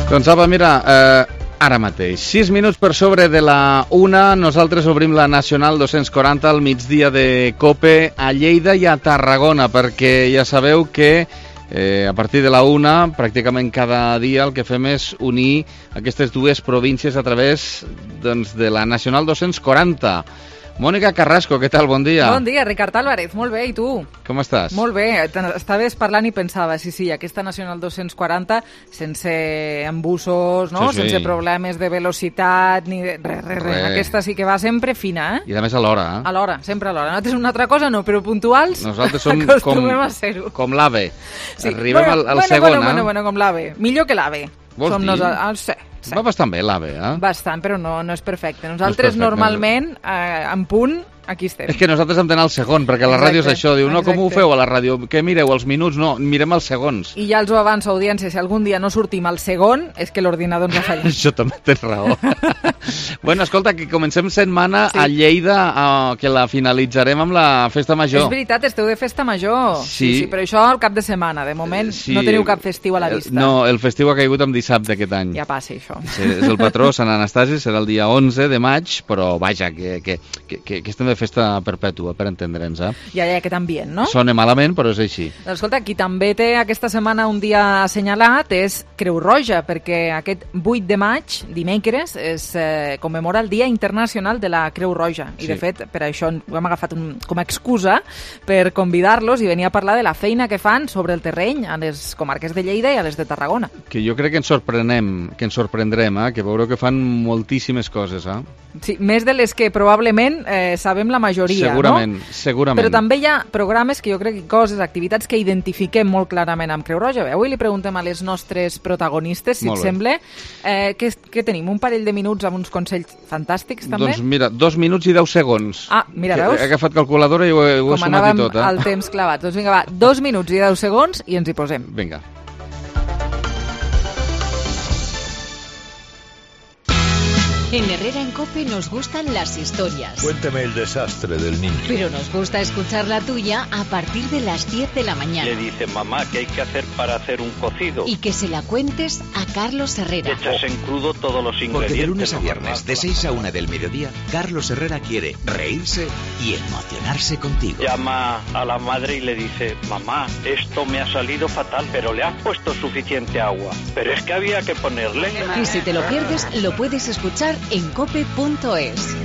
Doncs apa, mira, ara mateix, 6 minuts per sobre de la 1, nosaltres obrim la Nacional 240 al migdia de COPE a Lleida i a Tarragona, perquè ja sabeu que a partir de la 1, pràcticament cada dia el que fem és unir aquestes dues províncies a través de la Nacional 240. Mònica Carrasco, què tal? Bon dia. Bon dia, Ricard Álvarez. Molt bé, i tu? Com estàs? Molt bé. Estaves parlant i pensava, sí, aquesta Nacional 240, sense embussos, no? Sí. Sense problemes de velocitat, ni de... Res. Aquesta sí que va sempre fina, eh? I a més a l'hora, eh? A l'hora, sempre a l'hora. Nosaltres una altra cosa no, però puntuals nosaltres som com l'AVE. Sí. Arribem al segon, Bueno, com l'AVE. Millor que l'AVE. Vols dir? Sí. Va bastant bé l'AVE, eh? Bastant, però no és perfecte. Nosaltres normalment, en punt, aquí estem. És que nosaltres hem d'anar al segon, perquè la ràdio és això. Diu, no, com ho feu a la ràdio? Què mireu, els minuts? No, mirem els segons. I ja els ho avanço, audiència, si algun dia no sortim al segon, és que l'ordinador ens ha fallat. Això també tens raó. Bueno, escolta, que comencem setmana a Lleida, que la finalitzarem amb la Festa Major. És veritat, esteu de Festa Major. Sí, però això al cap de setmana. De moment no teniu cap festiu a la vista. No, el festiu ha caigut en dissabte aquest any. Ja passa, això. Sí, és el patró, Sant Anastasi, serà el dia 11 de maig, però vaja, que estem de festa perpètua, per entendre'ns, eh? Ja, aquest ambient, no? Sona malament, però és així. Doncs escolta, qui també té aquesta setmana un dia assenyalat és Creu Roja, perquè aquest 8 de maig, dimecres, es commemora el Dia Internacional de la Creu Roja. I, de fet, per això ho hem agafat com a excusa per convidar-los i venir a parlar de la feina que fan sobre el terreny a les comarques de Lleida i a les de Tarragona. Que jo crec que ens sorprendrem, que veureu que fan moltíssimes coses, eh? Sí, més de les que probablement sabem la majoria, segurament, no? Segurament. Però també hi ha programes que jo crec que coses, activitats que identifiquem molt clarament amb Creu Roja. Avui li preguntem a les nostres protagonistes, si et sembla, què tenim? Un parell de minuts amb uns consells fantàstics, també? Doncs mira, 2 minuts i 10 segons. Ah, mira, veus? He agafat calculadora i ho he sumat i tot, eh? Com anàvem al temps clavat. Doncs vinga, va, 2 minuts i 10 segons i ens hi posem. Vinga. En Herrera en COPE nos gustan las historias. Cuéntame el desastre del niño. Pero nos gusta escuchar la tuya a partir de las 10 de la mañana. Le dice, mamá, ¿qué hay que hacer para hacer un cocido? Y que se la cuentes a Carlos Herrera. Echas en crudo todos los ingredientes. Porque de lunes a viernes, de 6 a 1 del mediodía, Carlos Herrera quiere reírse y emocionarse contigo. Llama a la madre y le dice, mamá, esto me ha salido fatal, pero le has puesto suficiente agua. Pero es que había que ponerle. Y si te lo pierdes, lo puedes escuchar en cope.es.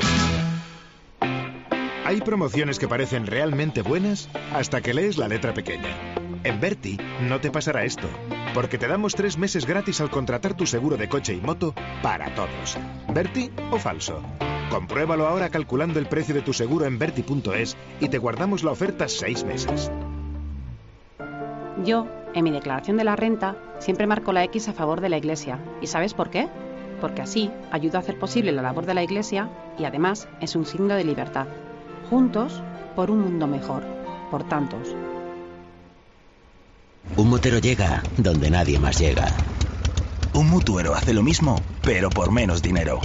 Hay promociones que parecen realmente buenas hasta que lees la letra pequeña. En Berti no te pasará esto, porque te damos 3 meses gratis al contratar tu seguro de coche y moto para todos. ¿Berti o falso? Compruébalo ahora calculando el precio de tu seguro en Berti.es y te guardamos la oferta 6 meses. Yo, en mi declaración de la renta, siempre marco la X a favor de la Iglesia. ¿Y sabes por qué? Porque así ayuda a hacer posible la labor de la Iglesia y además es un signo de libertad. Juntos, por un mundo mejor, por tantos. Un motero llega donde nadie más llega. Un mutuero hace lo mismo, pero por menos dinero.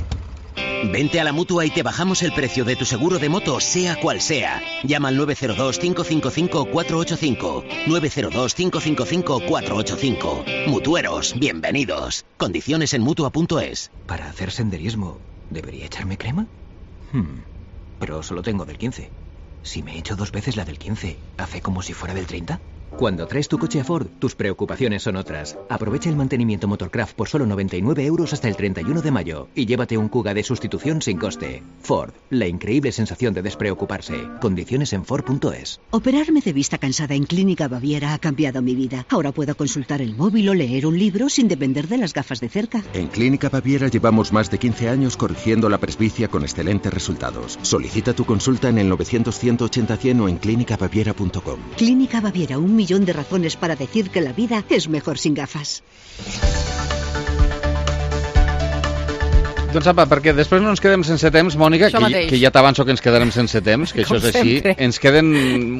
Vente a la Mutua y te bajamos el precio de tu seguro de moto, sea cual sea. Llama al 902-555-485. 902-555-485. Mutueros, bienvenidos. Condiciones en Mutua.es. Para hacer senderismo, ¿debería echarme crema? Pero solo tengo del 15. Si me echo 2 veces la del 15, ¿hace como si fuera del 30? Cuando traes tu coche a Ford, tus preocupaciones son otras. Aprovecha el mantenimiento Motorcraft por solo 99 € hasta el 31 de mayo y llévate un Kuga de sustitución sin coste. Ford, la increíble sensación de despreocuparse. Condiciones en Ford.es. Operarme de vista cansada en Clínica Baviera ha cambiado mi vida. Ahora puedo consultar el móvil o leer un libro sin depender de las gafas de cerca. En Clínica Baviera llevamos más de 15 años corrigiendo la presbicia con excelentes resultados. Solicita tu consulta en el 900-180-100 o en clínicabaviera.com. Clínica Baviera, 1 millón de razones para decir que la vida es mejor sin gafas. Doncs apa, perquè després no ens quedem sense temps, Mònica, que ja t'avanço que ens quedarem sense temps, que això és així. Ens queden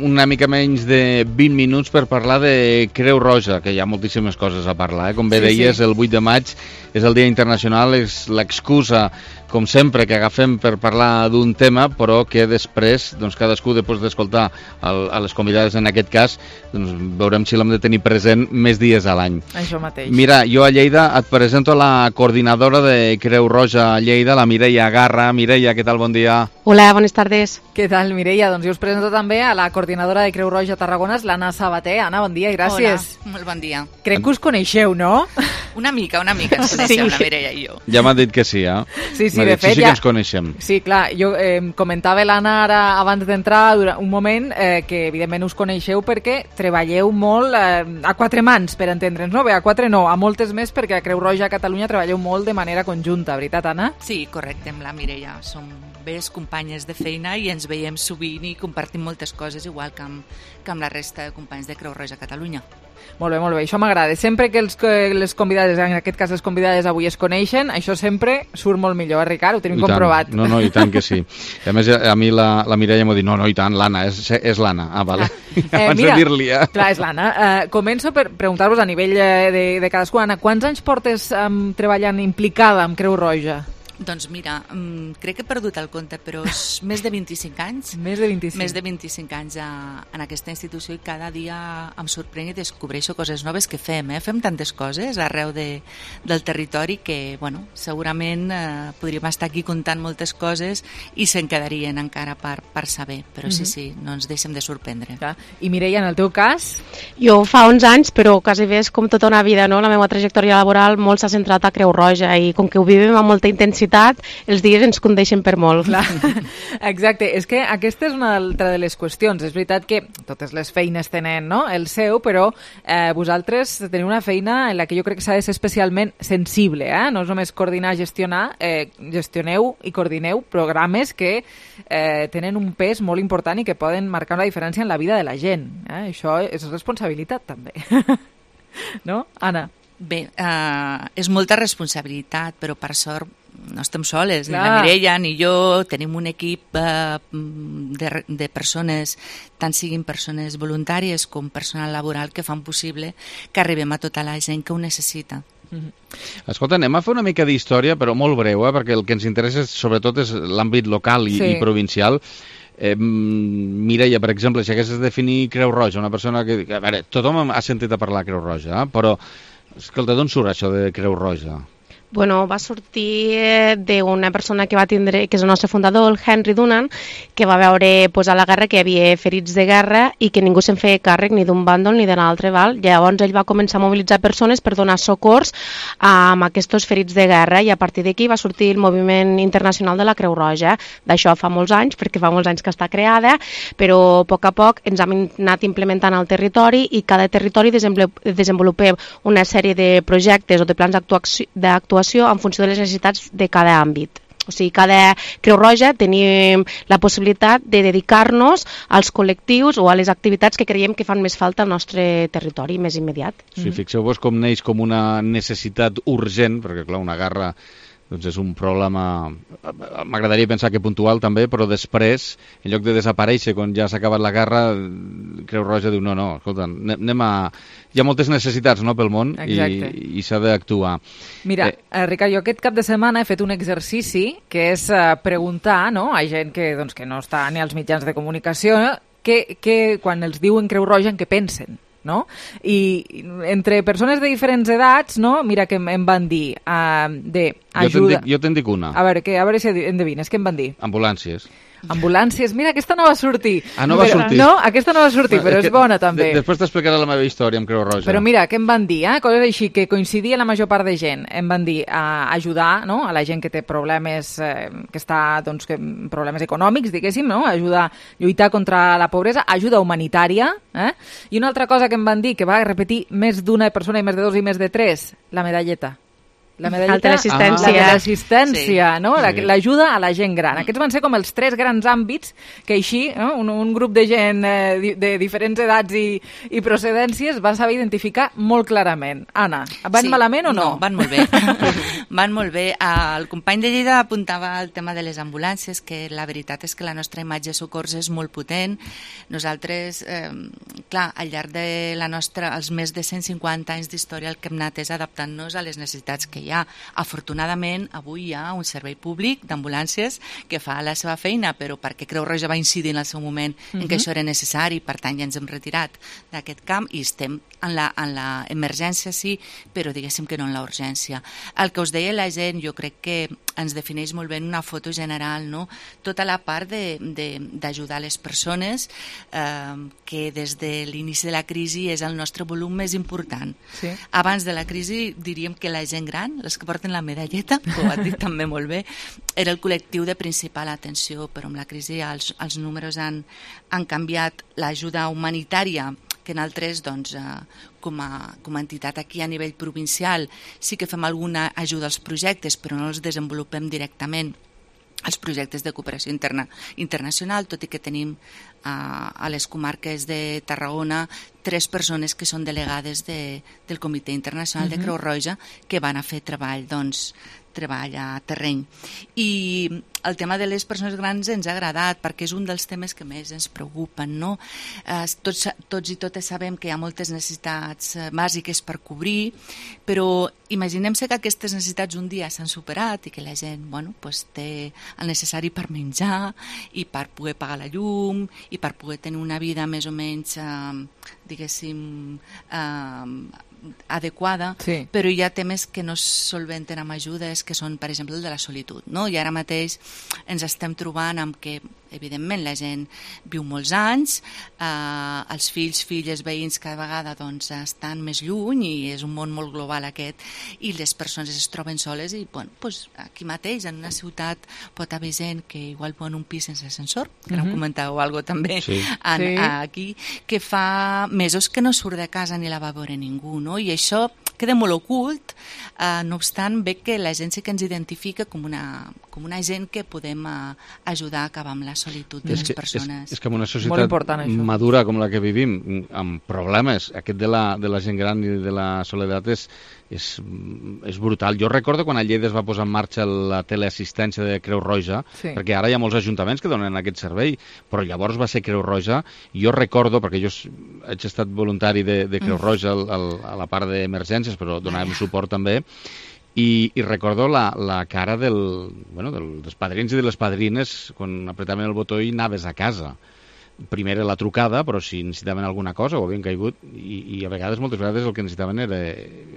una mica menys de 20 minuts per parlar de Creu Roja, que hi ha moltíssimes coses a parlar. Com bé deies, el 8 de maig és el Dia Internacional, és l'excusa com sempre, que agafem per parlar d'un tema, però que després, doncs, cadascú, després d'escoltar a les convidades en aquest cas, doncs, veurem si l'hem de tenir present més dies a l'any. Això mateix. Mira, jo a Lleida et presento la coordinadora de Creu Roja a Lleida, la Mireia Garra. Mireia, què tal? Bon dia. Hola, buenas tardes. Què tal, Mireia? Doncs jo us presento també a la coordinadora de Creu Roja a Tarragona, l'Anna Sabater. Anna, bon dia i gràcies. Hola, molt bon dia. Crec que us coneixeu, no? Una mica ens coneixem, la Mireia i jo. Ja m'ha dit que sí, eh? Sí, de fet, sí que ens coneixem. Sí, clar, jo comentava l'Anna ara abans d'entrar un moment que evidentment us coneixeu perquè treballeu molt a quatre mans, per entendre'ns, no? Bé, a quatre no, a moltes més, perquè a Creu Roja a Catalunya treballeu molt de manera conjunta, veritat, Anna? Sí, correcte, amb la Mireia. Som velles companyes de feina i ens veiem sovint i compartim moltes coses, igual que amb la resta de companys de Creu Roja a Catalunya. Molt bé, això m'agrada. Sempre que les convidades, en aquest cas les convidades avui es coneixen, això sempre surt molt millor, Ricard? Ho tenim comprovat. No, i tant que sí. A més, a mi la Mireia m'ha dit, no, i tant, l'Anna, és l'Anna. Ah, vale. Abans de dir-li, Clar, és l'Anna. Començo per preguntar-vos a nivell de cadascú. Anna, quants anys portes treballant implicada amb Creu Roja? Doncs mira, crec que he perdut el compte, però és més de 25 anys. Més de 25. Més de 25 anys en aquesta institució i cada dia em sorprèn i descobreixo coses noves que fem. Fem tantes coses arreu del territori que, bueno, segurament podríem estar aquí contant moltes coses i se'n quedarien encara per saber. Però sí, no ens deixem de sorprendre. I Mireia, en el teu cas? Jo fa 11 anys, però quasi bé és com tota una vida, no? La meva trajectòria laboral molt s'ha centrat a Creu Roja i com que ho vivim amb molta intensitat, els dies ens condeixen per molt. Clar. Exacte, és que aquesta és una altra de les qüestions. És veritat que totes les feines tenen, no?, el seu, però vosaltres teniu una feina en la que jo crec que s'ha de ser especialment sensible, no és només coordinar, gestionar, gestioneu i coordineu programes que tenen un pes molt important i que poden marcar una diferència en la vida de la gent. Això és responsabilitat també. No, Anna? Bé, és molta responsabilitat, però per sort no estem soles, ni la Mireia ni jo, tenim un equip de persones, tant siguin persones voluntàries com personal laboral, que fan possible que arribem a tota la gent que ho necessita. Escolta, anem a fer una mica d'història, però molt breu, perquè el que ens interessa sobretot és l'àmbit local i provincial. Mireia, per exemple, si haguessis de definir Creu Roja, una persona que... A veure, tothom ha sentit a parlar de Creu Roja, però, escolta, d'on surt això de Creu Roja? Bueno, va sortir d'una persona que va tindre, que és el nostre fundador, el Henry Dunant, que va veure a la guerra que hi havia ferits de guerra i que ningú se'n feia càrrec ni d'un bàndol ni de l'altre, val? Llavors ell va començar a mobilitzar persones per donar socors amb aquests ferits de guerra i a partir d'aquí va sortir el moviment internacional de la Creu Roja. D'això fa molts anys, perquè fa molts anys que està creada, però a poc ens hem anat implementant al territori i cada territori desenvolupem una sèrie de projectes o de plans d'actuació en funció de les necessitats de cada àmbit. O sigui, cada Creu Roja tenim la possibilitat de dedicar-nos als col·lectius o a les activitats que creiem que fan més falta al nostre territori més immediat. Sí, fixeu-vos com neix com una necessitat urgent, perquè clar, una guerra doncs és un problema, m'agradaria pensar que puntual també, però després, en lloc de desaparèixer quan ja s'ha acabat la guerra, Creu Roja diu, no, escolta, hi ha moltes necessitats, no, pel món i s'ha d'actuar. Mira, Ricard, jo aquest cap de setmana he fet un exercici que és preguntar, no, a gent que no està ni als mitjans de comunicació, que quan els diuen Creu Roja en què pensen. No? I entre persones de diferents edats, no? Mira que em van dir d'ajuda... Jo te'n dic una. A veure si endevines, què em van dir? Ambulàncies. Ambulàncies, mira, aquesta no va sortir. No va sortir. No, aquesta no va sortir, però és bona també. Després t'explicaré la meva història amb Creu Roja. Però mira, què em van dir? Coses així que coincidia la major part de gent. Em van dir ajudar, no?, a la gent que té problemes, que està, doncs, problemes econòmics, diguéssim, no?, ajudar a lluitar contra la pobresa, ajuda humanitària, i una altra cosa que em van dir, que va repetir més d'una persona i més de dos i més de tres, la medalleta. La medalleta, l'assistència. La de l'assistència, no? L'ajuda a la gent gran. Aquests van ser com els tres grans àmbits que així, no? un grup de gent de diferents edats i procedències va saber identificar molt clarament. Anna, van malament o no? No, van molt bé. Van molt bé. El company de Lleida apuntava el tema de les ambulàncies, que la veritat és que la nostra imatge de socors és molt potent. Nosaltres, clar, al llarg de els més de 150 anys d'història el que hem anat és adaptant-nos a les necessitats que hi ha. Afortunadament, avui hi ha un servei públic d'ambulàncies que fa la seva feina, però perquè Creu Roja va incidir en el seu moment en que això era necessari, per tant ja ens hem retirat d'aquest camp i estem en la emergència, sí, però diguéssim que no en la urgència. El que us deia la gent, jo crec que ens defineix molt bé en una foto general, no? Tota la part d'ajudar les persones, que des de l'inici de la crisi és el nostre volum més important. Sí. Abans de la crisi diríem que la gent gran, les que porten la medalleta, que ho ha dit també molt bé, era el col·lectiu de principal atenció, però amb la crisi els números han canviat. L'ajuda humanitària, que nosaltres, doncs, com a entitat aquí a nivell provincial, sí que fem alguna ajuda als projectes, però no els desenvolupem directament els projectes de cooperació internacional, tot i que tenim a les comarques de Tarragona 3 persones que són delegades del Comitè Internacional de Creu Roja que van a fer treball a terreny. I el tema de les persones grans ens ha agradat perquè és un dels temes que més ens preocupen, no? Tots i totes sabem que hi ha moltes necessitats bàsiques per cobrir, però imaginem-se que aquestes necessitats un dia s'han superat i que la gent té el necessari per menjar i per poder pagar la llum i per poder tenir una vida més o menys, diguéssim, adequada, sí. Però hi ha temes que no es solventen amb ajudes, que són, per exemple, el de la solitud, no? I ara mateix ens estem trobant amb que, evidentment, la gent viu molts anys, els fills, filles, veïns cada vegada estan més lluny i és un món molt global aquest, i les persones es troben soles i, aquí mateix, en una ciutat, pot haver gent que igual viu en un pis sense ascensor, que no comentàveu alguna cosa també aquí, que fa mesos que no surt de casa ni la va veure ningú, no? I això queda molt ocult, no obstant ve que la gent sí que ens identifica com una gent que podem ajudar a acabar amb la solitud de les persones. És que en una societat madura com la que vivim, amb problemes, aquest de la gent gran i de la soledat és brutal. Jo recordo quan a Lleida es va posar en marxa la teleassistència de Creu Roja, perquè ara hi ha molts ajuntaments que donen aquest servei, però llavors va ser Creu Roja. Jo recordo, perquè jo he estat voluntari de Creu Roja a la part d'emergències, però donàvem suport també, i recordo la cara dels padrins i de les padrines quan apretaven el botó i anaves a casa. Primer era la trucada, però si necessitaven alguna cosa ho havien caigut, i a vegades, moltes vegades, el que necessitaven era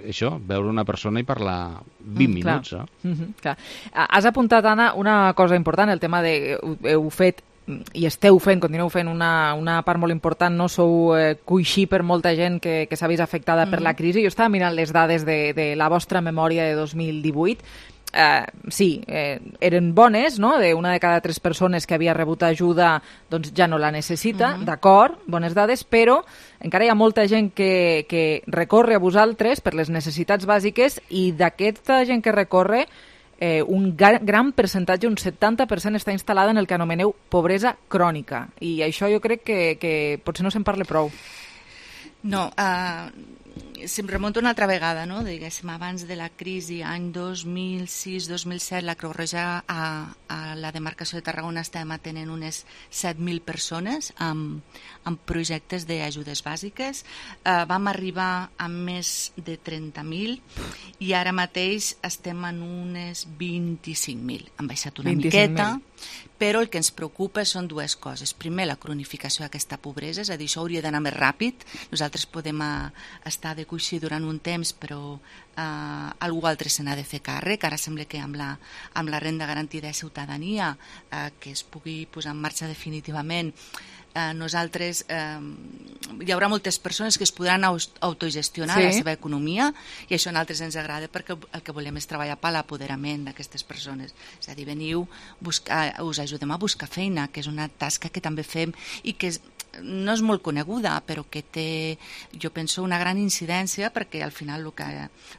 això, veure una persona i parlar 20 minuts. Clar. Has apuntat, Anna, una cosa important, el tema de heu fet i esteu fent, continueu fent una part molt important, no sou coixí per molta gent que s'ha vist afectada per la crisi. Jo estava mirant les dades de la vostra memòria de 2018. Sí, eren bones, no? Una de cada 3 persones que havia rebut ajuda doncs ja no la necessita, d'acord, bones dades, però encara hi ha molta gent que recorre a vosaltres per les necessitats bàsiques, i d'aquesta gent que recorre un gran percentatge, un 70%, està instal·lada en el que anomeneu pobresa crònica, i això jo crec que potser no se'n parla prou. No, si em remonto una altra vegada, no? Diguéssim, abans de la crisi, any 2006-2007, la Creu Roja a la demarcació de Tarragona estàvem atenent unes 7.000 persones amb projectes d'ajudes bàsiques. Vam arribar a més de 30.000 i ara mateix estem en unes 25.000. Han baixat una miqueta, però el que ens preocupa són dues coses. Primer, la cronificació d'aquesta pobresa, és a dir, això hauria d'anar més ràpid. Nosaltres podem estar de coixí durant un temps, però algú altre se n'ha de fer càrrec. Ara sembla que amb la renda garantida de ciutadania, que es pugui posar en marxa definitivament, nosaltres hi haurà moltes persones que es podran autogestionar la seva economia, i això a nosaltres ens agrada perquè el que volem és treballar per l'apoderament d'aquestes persones. És a dir, veniu, us ajudem a buscar feina, que és una tasca que també fem i que no és molt coneguda, però que té, jo penso, una gran incidència, perquè al final el que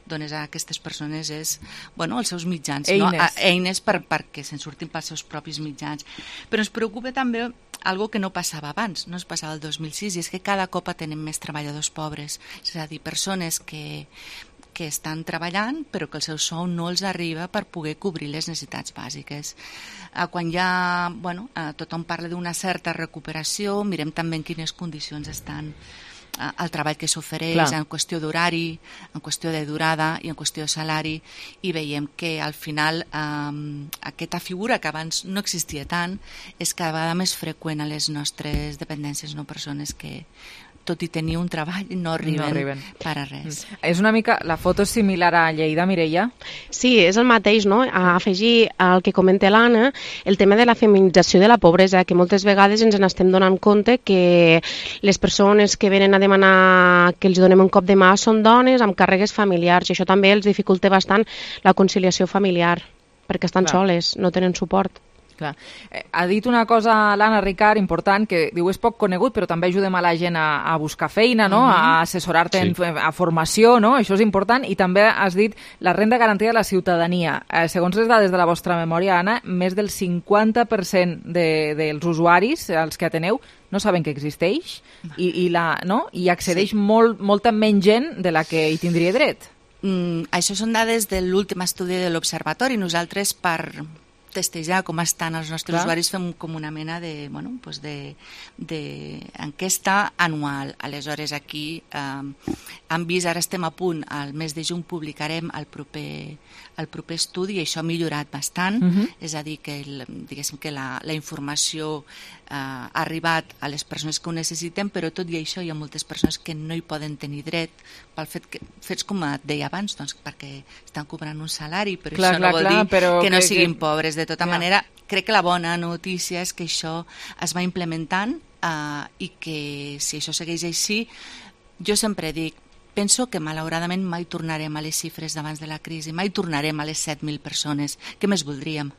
dones a aquestes persones és els seus mitjans, eines perquè se'n surtin pels seus propis mitjans. Però ens preocupa també algo que no passava abans, no es passava el 2006, i és que cada cop tenim més treballadors pobres, és a dir, persones que estan treballant però que el seu sou no els arriba per poder cobrir les necessitats bàsiques. Quan tothom parla d'una certa recuperació, mirem també en quines condicions estan el treball que s'ofereix en qüestió d'horari, en qüestió de durada i en qüestió de salari, i veiem que al final aquesta figura que abans no existia tant és cada vegada més freqüent a les nostres dependències, no? Persones que tot i tenir un treball, no arriben per a res. És una mica, la foto és similar a Lleida, Mireia? Sí, és el mateix, no? A afegir al que comenta l'Anna, el tema de la feminització de la pobresa, que moltes vegades ens n'estem donant compte que les persones que venen a demanar que els donem un cop de mà són dones amb càrregues familiars, i això també els dificulta bastant la conciliació familiar, perquè estan soles, no tenen suport. Clar. Ha dit una cosa l'Anna Ricard important, que diu és poc conegut, però també ajudem a la gent a buscar feina, no? A assessorar-te a formació, no? Això és important. I també has dit la renda garantida de la ciutadania. Segons les dades de la vostra memòria, Anna, més del 50% dels usuaris als que ateneu no saben que existeix i accedeix molta menys gent de la que hi tindria dret. Això són dades de l'últim estudi de l'Observatori. Nosaltres, per testejar com estan els nostres usuaris, fem com una mena d'enquesta anual. Aleshores, aquí hem vist, ara estem a punt, al mes de juny publicarem el proper estudi, i això ha millorat bastant. És a dir, que diguéssim que la informació ha arribat a les persones que ho necessiten, però tot i això hi ha moltes persones que no hi poden tenir dret pel fet que, fets com et deia abans, doncs perquè estan cobrant un salari, però això no vol dir que no siguin pobres. De tota manera, crec que la bona notícia és que això es va implementant i que si això segueix així, jo sempre dic, penso que malauradament mai tornarem a les xifres d'abans de la crisi, mai tornarem a les 7.000 persones, que més voldríem,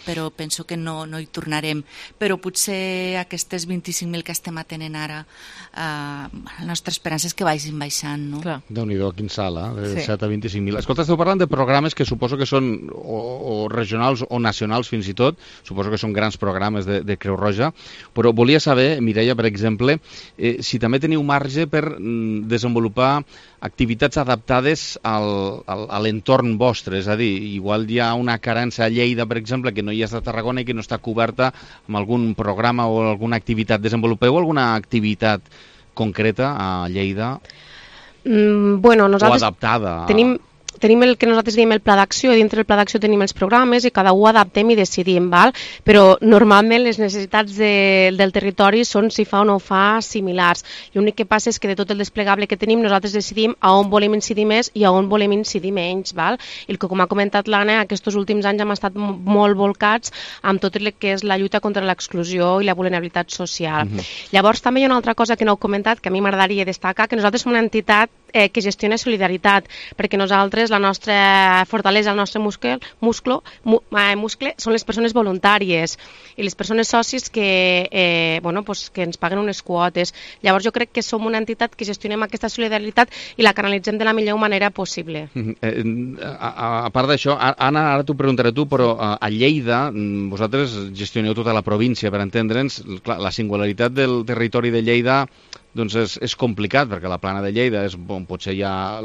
però penso que no hi tornarem. Però potser aquestes 25.000 que estem atenent ara, la nostra esperança és que vagin baixant, no? Déu-n'hi-do, quin salt, de 7 a 25.000. Escolta, esteu parlant de programes que suposo que són o regionals o nacionals fins i tot, suposo que són grans programes de Creu Roja, però volia saber, Mireia, per exemple, si també teniu marge per desenvolupar activitats adaptades a l'entorn vostre, és a dir, igual hi ha una carència a Lleida, per exemple, que no hi és a Tarragona i que no està coberta amb algun programa o alguna activitat. Desenvolupeu alguna activitat concreta a Lleida? Bueno, nosaltres o adaptada? Tenim el que nosaltres diem el pla d'acció, i dintre del pla d'acció tenim els programes i cada un adaptem i decidim, val? Però normalment les necessitats del territori són, si fa o no fa, similars. L'únic que passa és que de tot el desplegable que tenim nosaltres decidim a on volem incidir més i a on volem incidir menys, val? I com ha comentat l'Anna, aquests últims anys hem estat molt volcats amb tot el que és la lluita contra l'exclusió i la vulnerabilitat social. Llavors també hi ha una altra cosa que no heu comentat, que a mi m'agradaria destacar, que nosaltres som una entitat que gestiona solidaritat, perquè nosaltres, la nostra fortalesa, el nostre muscle són les persones voluntàries i les persones socis que ens paguen unes quotes. Llavors jo crec que som una entitat que gestionem aquesta solidaritat i la canalitzem de la millor manera possible. A part d'això, Anna, ara t'ho preguntaré tu, però a Lleida vosaltres gestioneu tota la província, per entendre'ns. La singularitat del territori de Lleida doncs és complicat, perquè la plana de Lleida és on potser hi ha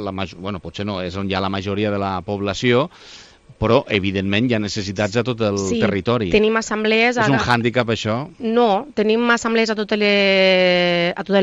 potser no, és on hi ha la majoria de la població, però evidentment hi ha necessitats a tot el territori. Tenim assemblees... És un hàndicap, això? No, tenim assemblees a totes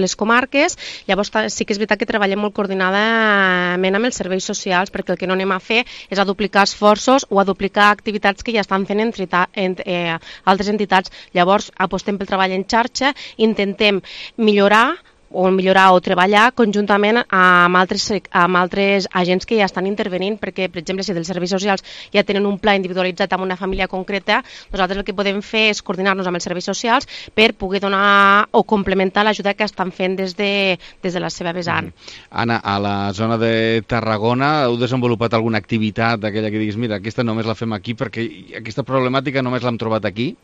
les comarques. Llavors sí que és veritat que treballem molt coordinadament amb els serveis socials, perquè el que no anem a fer és a duplicar esforços o a duplicar activitats que ja estan fent altres entitats. Llavors apostem pel treball en xarxa, intentem millorar o treballar conjuntament amb altres agents que ja estan intervenint, perquè, per exemple, si dels serveis socials ja tenen un pla individualitzat amb una família concreta, nosaltres el que podem fer és coordinar-nos amb els serveis socials per poder donar o complementar l'ajuda que estan fent des de la seva vessant. Anna, a la zona de Tarragona heu desenvolupat alguna activitat d'aquella que diguis, mira, aquesta només la fem aquí perquè aquesta problemàtica només l'hem trobat aquí?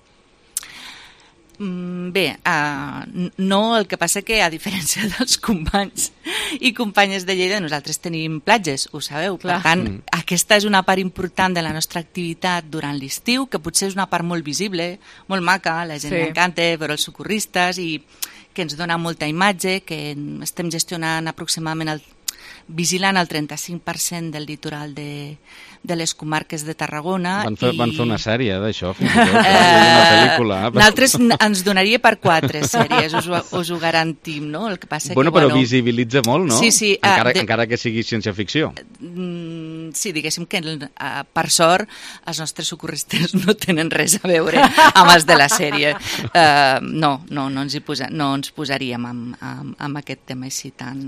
Bé, no, el que passa que a diferència dels companys i companyes de Lleida, nosaltres tenim platges, ho sabeu. Per tant, aquesta és una part important de la nostra activitat durant l'estiu, que potser és una part molt visible, molt maca, la gent li encanta veure els socorristes i que ens dona molta imatge, que estem gestionant aproximadament vigilant el 35% del litoral de les comarques de Tarragona. Van fer una sèrie d'això, fins i tot, una pel·lícula. Nosaltres ens donaria per 4 sèries, us ho garantim, no? El que passa bueno, que, però visibilitza molt, no? Sí. Encara que sigui ciència-ficció. Sí, diguéssim que per sort els nostres socorristes no tenen res a veure amb els de la sèrie. No ens posaríem amb aquest tema així tant,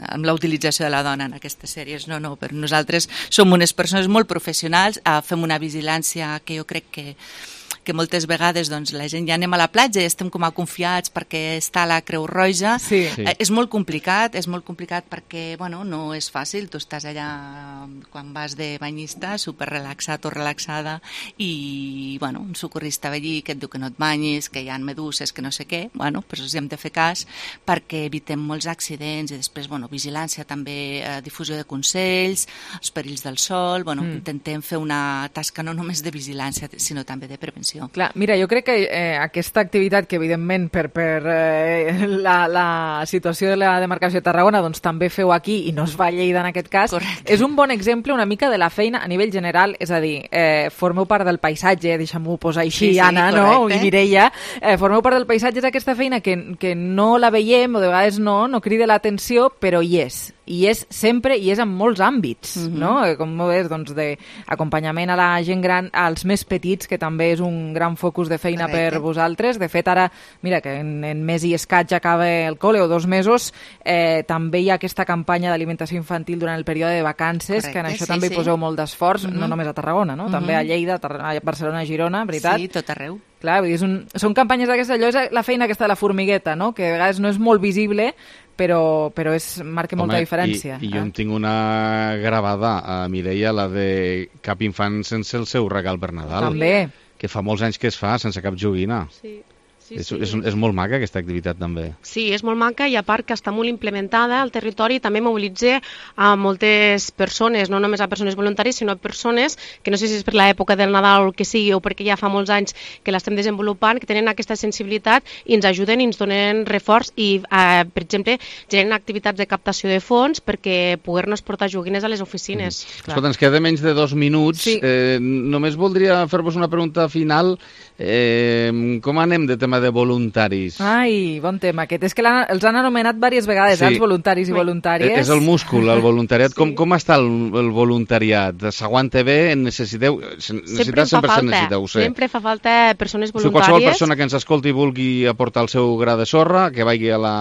amb la utilització de la dona en aquestes sèries. No, però nosaltres som unes persones molt professionals, fem una vigilància que jo crec que moltes vegades doncs, la gent ja anem a la platja i estem com a confiats perquè està a la Creu Roja. Sí. És molt complicat perquè no és fàcil. Tu estàs allà quan vas de banyista, super relaxat o relaxada i un socorrista ve allí que et diu que no et banyis, que hi ha meduses, que no sé què. Però els hem de fer cas perquè evitem molts accidents i després vigilància també, difusió de consells, els perills del sol. Intentem fer una tasca no només de vigilància sinó també de prevenció. Clar, mira, jo crec que aquesta activitat que evidentment per la situació de la demarcació de Tarragona doncs també feu aquí i no es va a Lleida en aquest cas. Correcte. És un bon exemple una mica de la feina a nivell general, és a dir, formeu part del paisatge, deixem-ho posar així, sí, Anna, no? I Mireia, formeu part del paisatge, és aquesta feina que no la veiem o de vegades no crida l'atenció, però hi és sempre i és en molts àmbits, no? Com ves, doncs, d'acompanyament a la gent gran, als més petits, que també és un gran focus de feina per vosaltres. De fet, ara, mira, que en mes i escaig acaba el col·le, o 2 mesos, també hi ha aquesta campanya d'alimentació infantil durant el període de vacances, que en això també hi poseu molt d'esforç, no només a Tarragona, no? També a Lleida, a Barcelona, a Girona, veritat? Sí, tot arreu. Clar, vull dir, són campanyes d'aquesta, allò és la feina aquesta de la formigueta, no? Que de vegades no és molt visible, però marca molta diferència. I jo en tinc una gravada, Mireia, la de cap infant sense el seu regal per Nadal. També. Que fa molts anys que es fa sense cap joguina. Sí. És molt maca aquesta activitat també. Sí, és molt maca i a part que està molt implementada al territori, també mobilitza a moltes persones, no només a persones voluntàries, sinó a persones que no sé si és per l'època del Nadal o el que sigui o perquè ja fa molts anys que l'estem desenvolupant, que tenen aquesta sensibilitat i ens ajuden i ens donen reforç i, per exemple, generen activitats de captació de fons perquè poder-nos portar joguines a les oficines. Escolta, ens queda menys de 2 minuts. Sí. Només voldria fer-vos una pregunta final. Com anem de tema de voluntaris? Ai, bon tema aquest. És que els han anomenat diverses vegades, els voluntaris i voluntàries. És el múscul, el voluntariat. Com està el voluntariat? S'aguanta bé? Necessiteu? Sempre fa falta persones voluntàries. Si qualsevol persona que ens escolti i vulgui aportar el seu gra de sorra, que vagi a la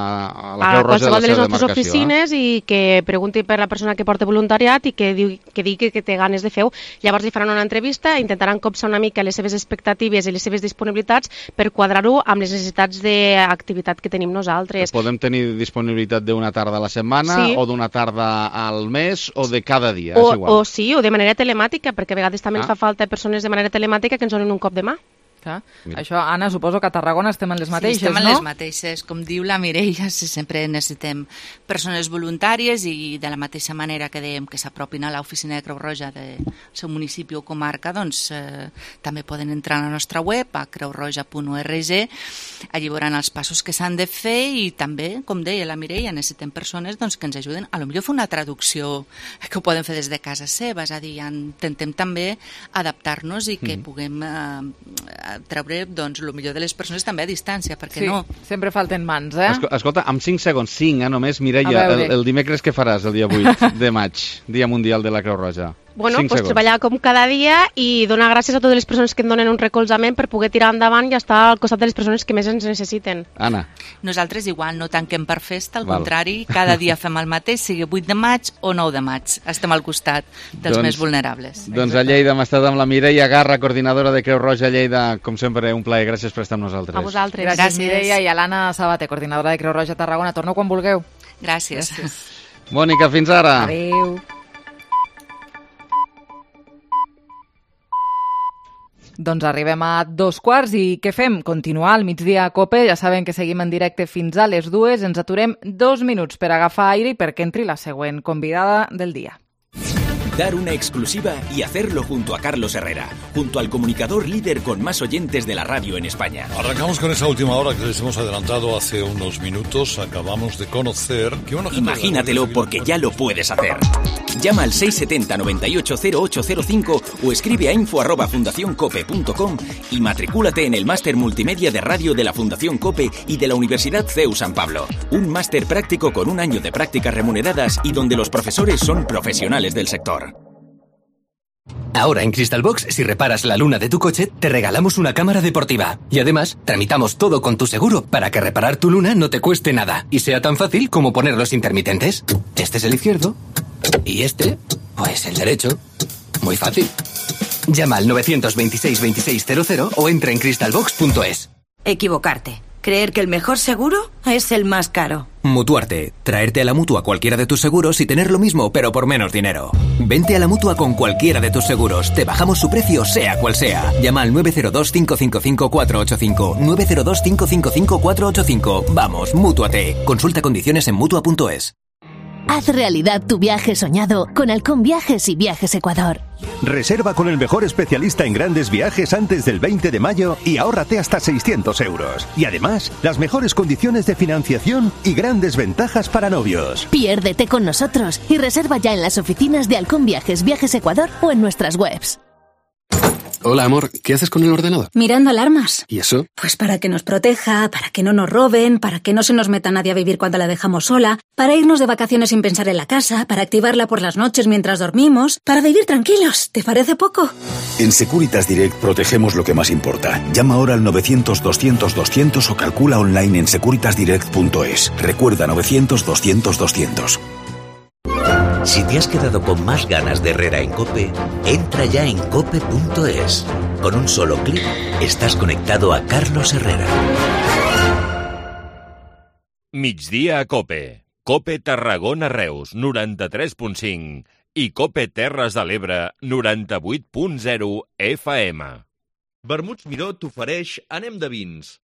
Creu Roja de la seva demarcació. A qualsevol de les nostres oficines i que pregunti per la persona que porta voluntariat i que digui que té ganes de fer-ho. Llavors li faran una entrevista, intentaran copsar una mica les seves expectatives i les seves disponibilitats per quadrar-ho amb les necessitats d'activitat que tenim nosaltres. Podem tenir disponibilitat d'una tarda a la setmana o d'una tarda al mes o de cada dia, és igual. O de manera telemàtica, perquè a vegades també ens fa falta persones de manera telemàtica que ens donin un cop de mà. Això, Anna, suposo que a Tarragona estem en les mateixes, no? Sí, estem en les mateixes. Com diu la Mireia, sempre necessitem persones voluntàries i de la mateixa manera que dèiem que s'apropin a l'oficina de Creu Roja del seu municipi o comarca, doncs també poden entrar a la nostra web, a creurroja.org, allí veuran els passos que s'han de fer i també, com deia la Mireia, necessitem persones que ens ajuden a potser fer una traducció que ho poden fer des de casa seva, és a dir, intentem també adaptar-nos i que puguem treure el millor de les persones també a distància, perquè no... Sempre falten mans, Escolta, amb 5 segons, 5 només, Mireia, el dimecres què faràs el dia 8 de maig, Dia Mundial de la Creu Roja? Bueno, pues treballar com cada dia i donar gràcies a totes les persones que et donen un recolzament per poder tirar endavant i estar al costat de les persones que més ens necessiten. Anna. Nosaltres igual no tanquem per festa, al contrari, cada dia fem el mateix, sigui 8 de maig o 9 de maig. Estem al costat dels més vulnerables. Doncs a Lleida hem estat amb la Mireia Garra, coordinadora de Creu Roja Lleida. Com sempre, un plaer. Gràcies per estar amb nosaltres. A vosaltres. Gràcies, Mireia, i a l'Anna Sabater, coordinadora de Creu Roja Tarragona. Torneu quan vulgueu. Gràcies. Mònica, fins ara. Adéu. Doncs arribem a 2:15 i què fem? Continuar al migdia a COPE. Ja saben que seguim en directe fins a les 2. Ens aturem 2 minuts per agafar aire i perquè entri la següent convidada del dia. dar una exclusiva y hacerlo junto a Carlos Herrera, junto al comunicador líder con más oyentes de la radio en España. Arrancamos con esa última hora que les hemos adelantado hace unos minutos. Acabamos de conocer que una gente... Imagínatelo porque ya lo puedes hacer. Llama al 670 98 0805 o escribe a info@fundacioncope.com y matricúlate en el máster multimedia de radio de la Fundación COPE y de la Universidad CEU San Pablo. Un máster práctico con un año de prácticas remuneradas y donde los profesores son profesionales del sector. Ahora en Crystal Box, si reparas la luna de tu coche, te regalamos una cámara deportiva. Y además, tramitamos todo con tu seguro para que reparar tu luna no te cueste nada y sea tan fácil como poner los intermitentes. Este es el izquierdo y este, pues el derecho. Muy fácil. Llama al 926 2600 o entra en crystalbox.es. Equivocarte. Creer que el mejor seguro es el más caro. Mutuarte. Traerte a la Mutua cualquiera de tus seguros y tener lo mismo, pero por menos dinero. Vente a la Mutua con cualquiera de tus seguros. Te bajamos su precio, sea cual sea. Llama al 902-555-485. 902-555-485. Vamos, mútuate. Consulta condiciones en Mutua.es. Haz realidad tu viaje soñado con Halcón Viajes y Viajes Ecuador. Reserva con el mejor especialista en grandes viajes antes del 20 de mayo y ahórrate hasta 600 euros. Y además, las mejores condiciones de financiación y grandes ventajas para novios. Piérdete con nosotros y reserva ya en las oficinas de Halcón Viajes, Viajes Ecuador o en nuestras webs. Hola, amor, ¿qué haces con el ordenador? Mirando alarmas. ¿Y eso? Pues para que nos proteja, para que no nos roben, para que no se nos meta nadie a vivir cuando la dejamos sola, para irnos de vacaciones sin pensar en la casa, para activarla por las noches mientras dormimos, para vivir tranquilos. ¿Te parece poco? En Securitas Direct protegemos lo que más importa. Llama ahora al 900-200-200 o calcula online en securitasdirect.es. Recuerda 900-200-200. Si te has quedado con más ganas de Herrera en COPE, entra ya en cope.es. Con un solo clic estás conectado a Carlos Herrera. Migdia a COPE. COPE Tarragona Reus, 93.5 i COPE Terres de l'Ebre, 98.0 FM. Vermuts Miró t'ofereix Anem de vins.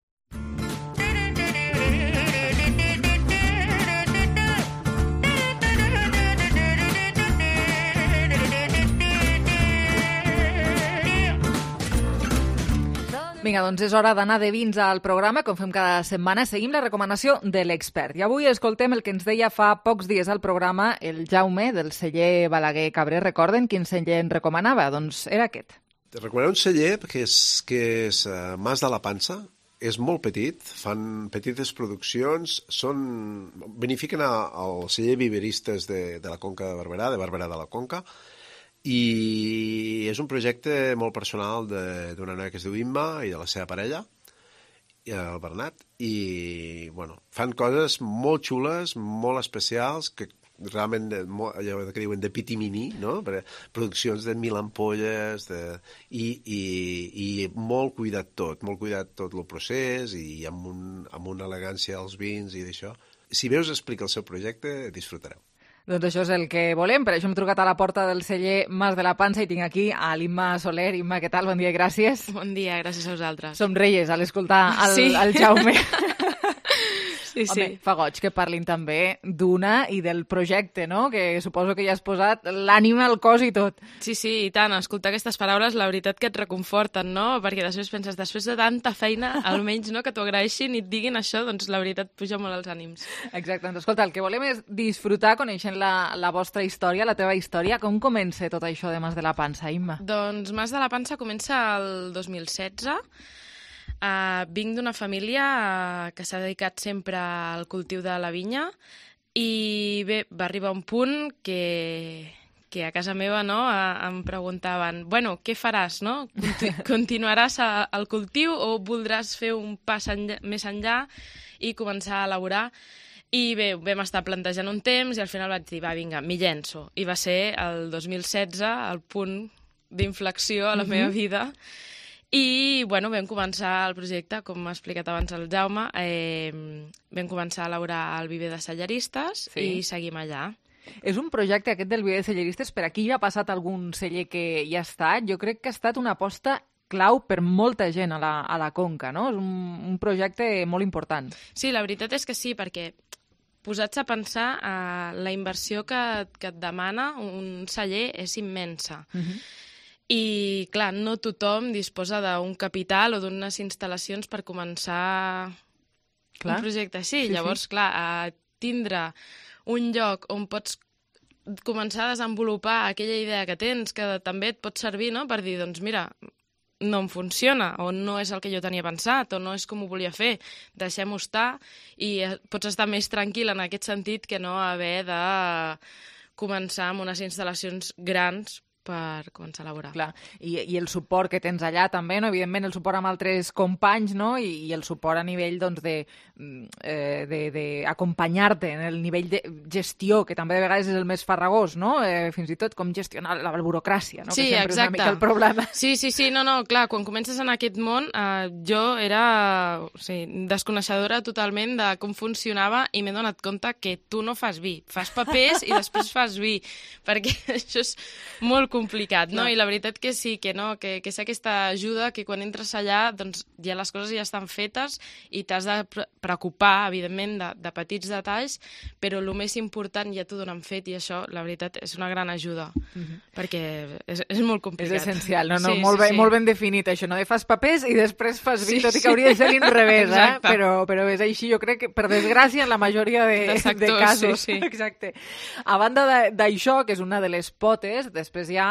Vinga, doncs és hora d'anar de vins al programa, com fem cada setmana. Seguim la recomanació de l'expert. I avui escoltem el que ens deia fa pocs dies al programa el Jaume, del celler Balaguer Cabré. Recorden quin celler ens recomanava? Doncs era aquest. Te recomanaré un celler que és Mas de la Pansa. És molt petit, fan petites produccions, benefiquen al celler viveristes de la Conca de Barberà de la Conca, i és un projecte molt personal d'una noia que es diu Imma i de la seva parella, el Bernat, i fan coses molt xules, molt especials, que realment allò que diuen de pitimini, no? Produccions de 1.000 ampolles i molt cuidat tot el procés i amb una elegància als vins i d'això. Si veus explica el seu projecte, disfrutareu. Doncs això és el que volem, per això hem trucat a la porta del celler Mas de la Pansa i tinc aquí a l'Imma Soler. Imma, què tal? Bon dia i gràcies. Bon dia, gràcies a vosaltres. Somreies a l'escoltar el Jaume. Sí, sí. Home, fa goig que parlin també d'una i del projecte, no? Que suposo que ja has posat l'ànima, el cos i tot. Sí, sí, i tant. Escoltar aquestes paraules, la veritat que et reconforten, no? Perquè després penses, després de tanta feina, almenys no, que t'ho agraeixin i et diguin això, doncs la veritat puja molt els ànims. Exacte. Doncs escolta, el que volem és disfrutar coneixent la vostra història, la teva història. Com comença tot això de Mas de la Pansa, Imma? Doncs Mas de la Pansa comença el 2016. Vinc d'una família que s'ha dedicat sempre al cultiu de la vinya i bé, va arribar un punt que a casa meva em preguntaven, bueno, què faràs, no? Continuaràs al cultiu o voldràs fer un pas més enllà i començar a elaborar? I bé, vam estar plantejant un temps i al final vaig dir, va, vinga, m'hi llenço. I va ser el 2016 el punt d'inflexió a la meva vida. I, bueno, vam començar el projecte, com m'ha explicat abans el Jaume, vam començar a elaborar el viver de celleristes i seguim allà. És un projecte aquest del viver de celleristes, per aquí ja ha passat algun celler que hi ha estat. Jo crec que ha estat una aposta clau per molta gent a la Conca, no? És un projecte molt important. Sí, la veritat és que sí, perquè posats a pensar, la inversió que et demana un celler és immensa. I, clar, no tothom disposa d'un capital o d'unes instal·lacions per començar un projecte així. Llavors, clar, tindre un lloc on pots començar a desenvolupar aquella idea que tens, que també et pot servir, no?, per dir, doncs mira, no em funciona, o no és el que jo tenia pensat, o no és com ho volia fer, deixem-ho estar, i pots estar més tranquil en aquest sentit que no haver de començar amb unes instal·lacions grans per començar a elaborar. Clar, i el suport que tens allà també, no? Evidentment el suport amb altres companys, no? I el suport a nivell doncs, d'acompanyar-te en el nivell de gestió, que també de vegades és el més farragós, no? Fins i tot com gestionar la burocràcia, no? Sí, que sempre exacte. És una mica el problema. Sí, no, clar, quan comences en aquest món, jo era desconeixedora totalment de com funcionava i m'he donat compte que tu no fas vi, fas papers i després fas vi, perquè això és molt complicat, no? I la veritat que sí, que no, que sé aquesta ajuda, que quan entres allà, doncs ja les coses ja estan fetes i t'has de preocupar, evidentment, de petits detalls, però el més important ja t'ho donen fet i això, la veritat, és una gran ajuda, perquè és molt complicat. És essencial, no? Molt ben definit, això, no? Fas papers i després fas vi, tot i que hauria de ser l'inrevés, però és així, jo crec que, per desgràcia, en la majoria de casos. Sí. Exacte. A banda d'això, que és una de les potes, després hi ha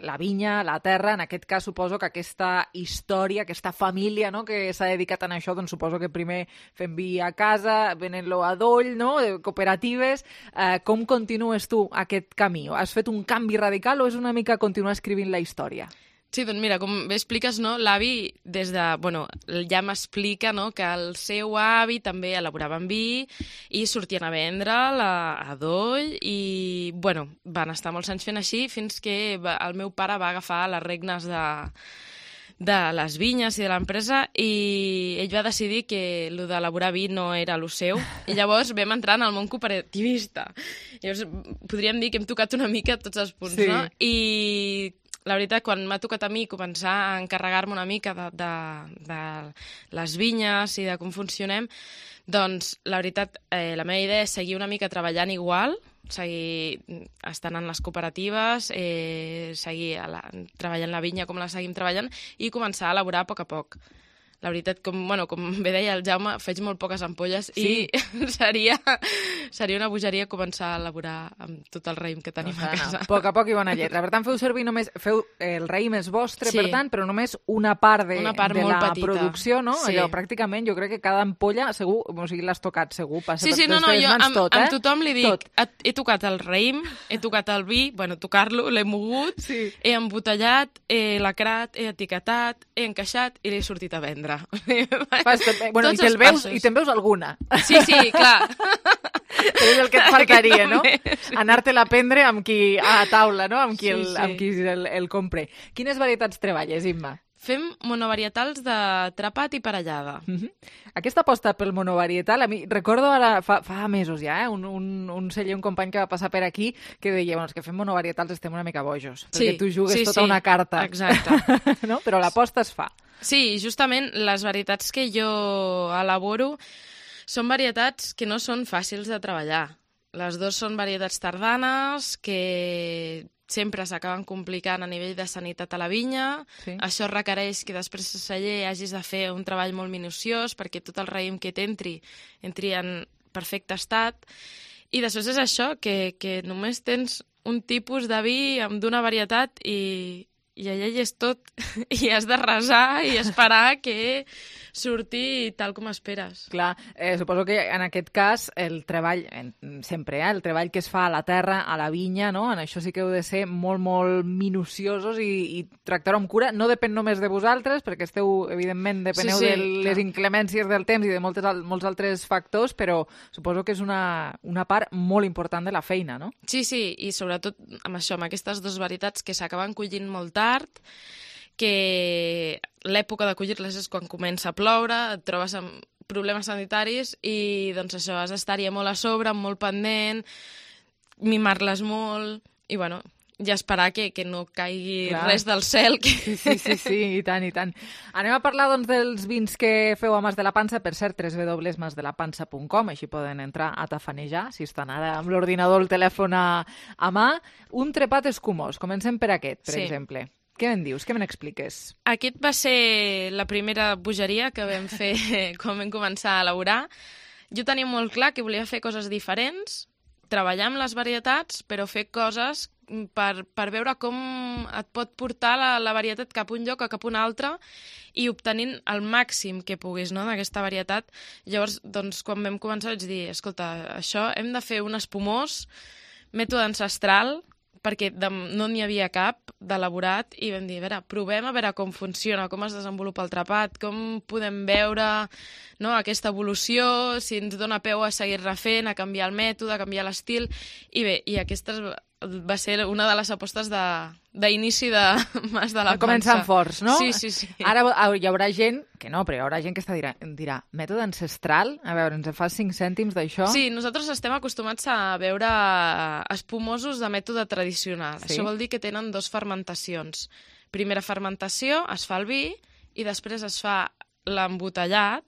la vinya, la terra, en aquest cas suposo que aquesta història, aquesta família, no?, que s'ha dedicat a això, doncs suposo que primer fem vi a casa, venent-lo a doll, no?, cooperatives. Com continues tu aquest camí? Has fet un canvi radical o és una mica continuar escrivint la història? Sí, doncs mira, com bé expliques, no, l'avi ja m'explica, no, que el seu avi també elaboraven vi i sortien a vendre'l a doll i, van estar molts anys fent així fins que el meu pare va agafar les regnes de les vinyes i de l'empresa i ell va decidir que el d'elaborar vi no era el seu i llavors vam entrar en el món cooperativista. Llavors podríem dir que hem tocat una mica tots els punts, no? I la veritat, quan m'ha tocat a mi començar a encarregar-me una mica de les vinyes i de com funcionem, doncs la veritat, la meva idea és seguir una mica treballant igual, seguir estant en les cooperatives, seguir treballant la vinya com la seguim treballant i començar a elaborar a poc a poc. La veritat, com bé deia el Jaume, faig molt poques ampolles i seria una bogeria començar a elaborar amb tot el raïm que tenim a casa. A poc i bona lletra. Per tant, el raïm és vostre, per tant, però només una part de la producció, no? Allò, pràcticament, jo crec que cada ampolla, segur, o sigui, l'has tocat, segur, passa per les teves mans tot, amb tothom li dic, he tocat el raïm, he tocat el vi, tocar-lo, l'he mogut, he embotellat, he lacrat, he etiquetat, he encaixat i l'he sortit a vendre. I te'n veus alguna. Sí, clar. Però és el que et faltaria, no? Anar-te-la a prendre amb qui a taula, no? Amb qui el compre. Quines varietats treballes, Imma? Fem monovarietals de trapat i parellada. Aquesta aposta pel monovarietal, a mi recordo ara, fa mesos ja, un celler, un company que va passar per aquí, que deia, els que fem monovarietals estem una mica bojos, perquè tu jugues tota una carta. Exacte. No? Però l'aposta es fa. Sí, justament les varietats que jo elaboro són varietats que no són fàcils de treballar. Les dues són varietats tardanes que sempre s'acaben complicant a nivell de sanitat a la vinya. Això requereix que després al celler hagis de fer un treball molt minuciós perquè tot el raïm que entri en perfecte estat. I després és això, que només tens un tipus de vi d'una varietat i allà hi és tot, i has de resar i esperar que surti tal com esperes. Clar, suposo que en aquest cas el treball, sempre, el treball que es fa a la terra, a la vinya, no? En això sí que heu de ser molt, molt minuciosos i tractar-ho amb cura. No depèn només de vosaltres, perquè esteu, evidentment, depeneu de les inclemències del temps i de molts altres factors, però suposo que és una part molt important de la feina, no? Sí, i sobretot amb això, amb aquestes dues varietats que s'acaben collint molt tard, que l'època de collir-les és quan comença a ploure, et trobes amb problemes sanitaris i doncs això, has d'estar-hi molt a sobre, molt pendent, mimar-les molt i i esperar que no caigui res del cel. Sí, i tant, i tant. Anem a parlar doncs, dels vins que feu a Mas de la Pansa, per cert, www.masdelapansa.com, així poden entrar a tafanejar, si estan ara amb l'ordinador o el telèfon a mà. Un trepat escumós, comencem per aquest, per exemple. Què me'n dius? Què me n'expliques? Aquest va ser la primera bogeria que vam fer quan vam començar a elaborar. Jo tenia molt clar que volia fer coses diferents, treballar amb les varietats, però fer coses per veure com et pot portar la varietat cap a un lloc o cap a un altre i obtenint el màxim que puguis, no?, d'aquesta varietat. Llavors, doncs, quan vam començar vaig dir, escolta, això hem de fer un espumós, mètode ancestral, perquè no n'hi havia cap d'elaborat, i vam dir, provem a veure com funciona, com es desenvolupa el trepat, com podem veure, no, aquesta evolució, si ens dona peu a seguir refent, a canviar el mètode, a canviar l'estil, i bé, i aquesta va ser una de les apostes d'inici de Mas de la Pansa. Començant forts, no? Sí. Ara hi haurà gent que no, però hi haurà gent que dirà, mètode ancestral? A veure, ens fas 5 cèntims d'això? Sí, nosaltres estem acostumats a veure espumosos de mètode tradicional. Sí? Això vol dir que tenen 2 fermentacions. Primera fermentació, es fa el vi, i després es fa l'embotellat,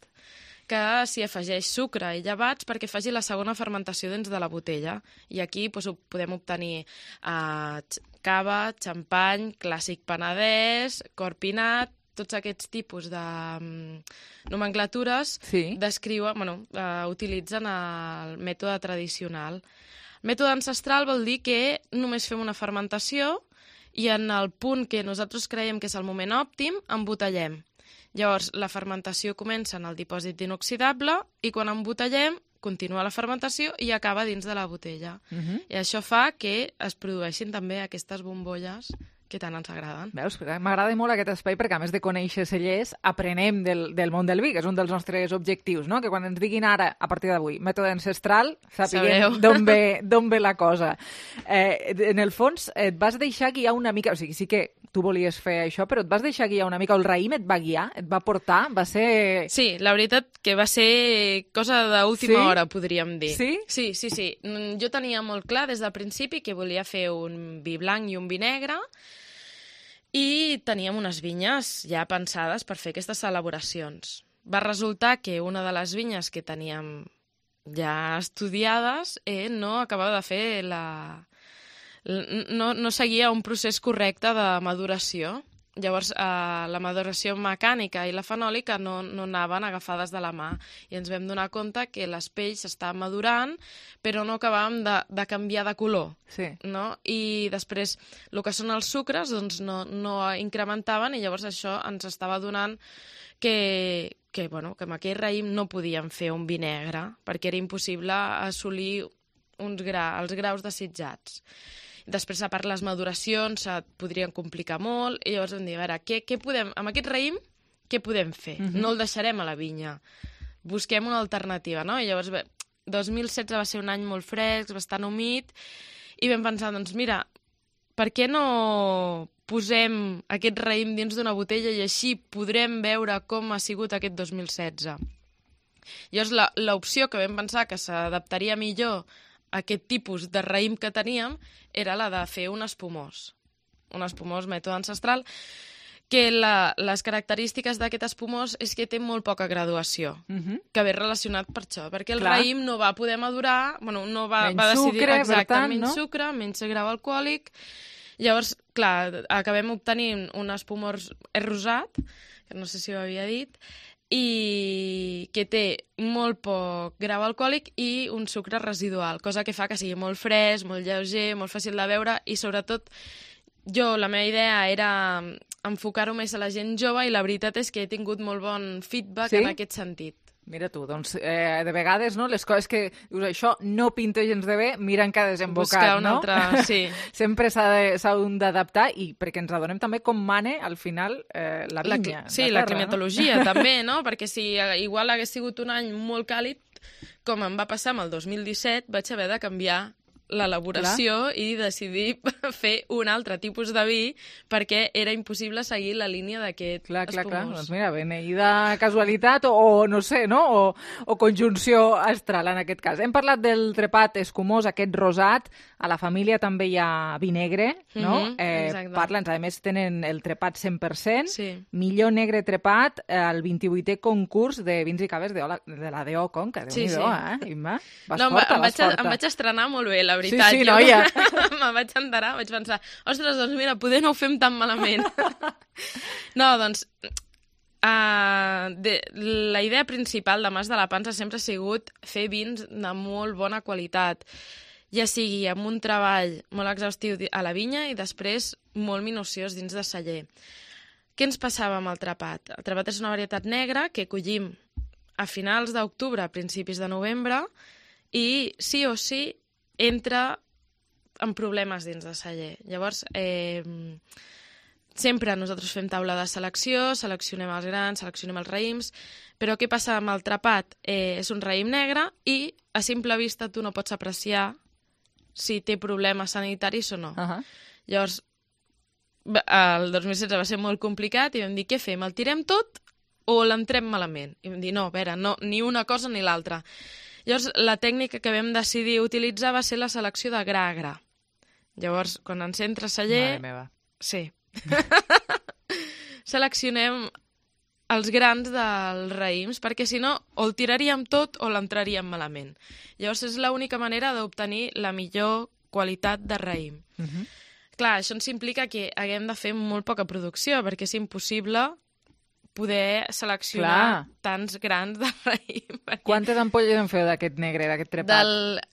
que s'hi afegeix sucre i llevats perquè faci la segona fermentació dins de la botella. I aquí podem obtenir cava, xampany, clàssic penedès, corpinat, tots aquests tipus de nomenclatures utilitzen el mètode tradicional. Mètode ancestral vol dir que només fem una fermentació i en el punt que nosaltres creiem que és el moment òptim, embotellem. Llavors, la fermentació comença en el dipòsit inoxidable i quan embotellem, continua la fermentació i acaba dins de la botella. I això fa que es produeixin també aquestes bombolles que tant ens agraden. Veus? M'agrada molt aquest espai perquè, a més de conèixer cellers, aprenem del món del vi, que és un dels nostres objectius, no? Que quan ens diguin ara, a partir d'avui, mètode ancestral, sapiguem d'on ve la cosa. En el fons, et vas deixar guiar una mica, o sigui, sí que tu volies fer això, però et vas deixar guiar una mica, el raïm et va guiar, et va portar, va ser... Sí, la veritat que va ser cosa d'última hora, podríem dir. Sí? Sí. Jo tenia molt clar des del principi que volia fer un vi blanc i un vi negre, i teníem unes vinyes ja pensades per fer aquestes elaboracions. Va resultar que una de les vinyes que teníem ja estudiades no acabava de fer no seguia un procés correcte de maduració. Llavors, la maduració mecànica i la fenòlica no anaven agafades de la mà i ens vam donar compte que les pells s'estaven madurant però no acabàvem de canviar de color. Sí. No? I després, el que són els sucres doncs no incrementaven i llavors això ens estava donant que amb aquell raïm no podíem fer un vi negre perquè era impossible assolir els graus desitjats. Després, a part, les maduracions et podrien complicar molt, i llavors vam dir, a veure, amb aquest raïm, què podem fer? No el deixarem a la vinya. Busquem una alternativa, no? I llavors, 2016 va ser un any molt fresc, bastant humit, i vam pensar, doncs mira, per què no posem aquest raïm dins d'una botella i així podrem veure com ha sigut aquest 2016? Llavors, l'opció que vam pensar que s'adaptaria millor aquest tipus de raïm que teníem era la de fer un espumós mètode ancestral, que les característiques d'aquest espumós és que té molt poca graduació, que ve relacionat per això, perquè el raïm no va poder madurar, no va decidir menys sucre, menys grau alcohòlic. Llavors, clar, acabem obtenint un espumós rosat, que no sé si ho havia dit, i que té molt poc grau alcohòlic i un sucre residual, cosa que fa que sigui molt fresc, molt lleuger, molt fàcil de beure i sobretot la meva idea era enfocar-ho més a la gent jove i la veritat és que he tingut molt bon feedback en aquest sentit. Mira tu, doncs de vegades les coses que dius això no pinta gens de bé, mira en què ha desembocat, buscar una altra, sí. Sempre s'ha d'adaptar i perquè ens adonem també com mane al final la vinya. Sí, la climatologia també, no? Perquè si igual hagués sigut un any molt càlid, com em va passar amb el 2017, vaig haver de canviar l'elaboració i decidir fer un altre tipus de vi perquè era impossible seguir la línia d'aquest espumós. Clar. Doncs mira, beneïda casualitat o no sé, no? O conjunció astral en aquest cas. Hem parlat del trepat escumós, aquest rosat. A la família també hi ha vi negre, no? Parla'ns, a més tenen el trepat 100%, millor negre trepat al 28è concurs de vins i caves de la DO Conca. Déu-n'hi-do, Imma? Em vaig estrenar molt bé, la veritat. Sí, noia. Me'n vaig enterar, vaig pensar, ostres, doncs mira, poder no ho fem tan malament. No, doncs, la idea principal de Mas de la Pansa sempre ha sigut fer vins de molt bona qualitat, ja sigui amb un treball molt exhaustiu a la vinya i després molt minuciós dins de celler. Què ens passava amb el trepat? El trepat és una varietat negra que collim a finals d'octubre, a principis de novembre, i sí o sí entra en problemes dins de celler. Llavors, sempre nosaltres fem taula de selecció, seleccionem els grans, seleccionem els raïms, però què passa amb el trepat? És un raïm negre i a simple vista tu no pots apreciar si té problemes sanitaris o no. Llavors, el 2016 va ser molt complicat i vam dir, què fem? El tirem tot o l'entrem malament? I vam dir, no, a veure, no, ni una cosa ni l'altra. Llavors, la tècnica que vam decidir utilitzar va ser la selecció de gra a gra. Llavors, quan ens entra celler... Mare meva. Sí. Seleccionem els grans dels raïms, perquè si no, o el tiraríem tot o l'entraríem malament. Llavors, és l'única manera d'obtenir la millor qualitat de raïm. Clar, això ens implica que haguem de fer molt poca producció, perquè és impossible poder seleccionar tants grans de raïm. Quantes ampolles en feu d'aquest negre, d'aquest trepat?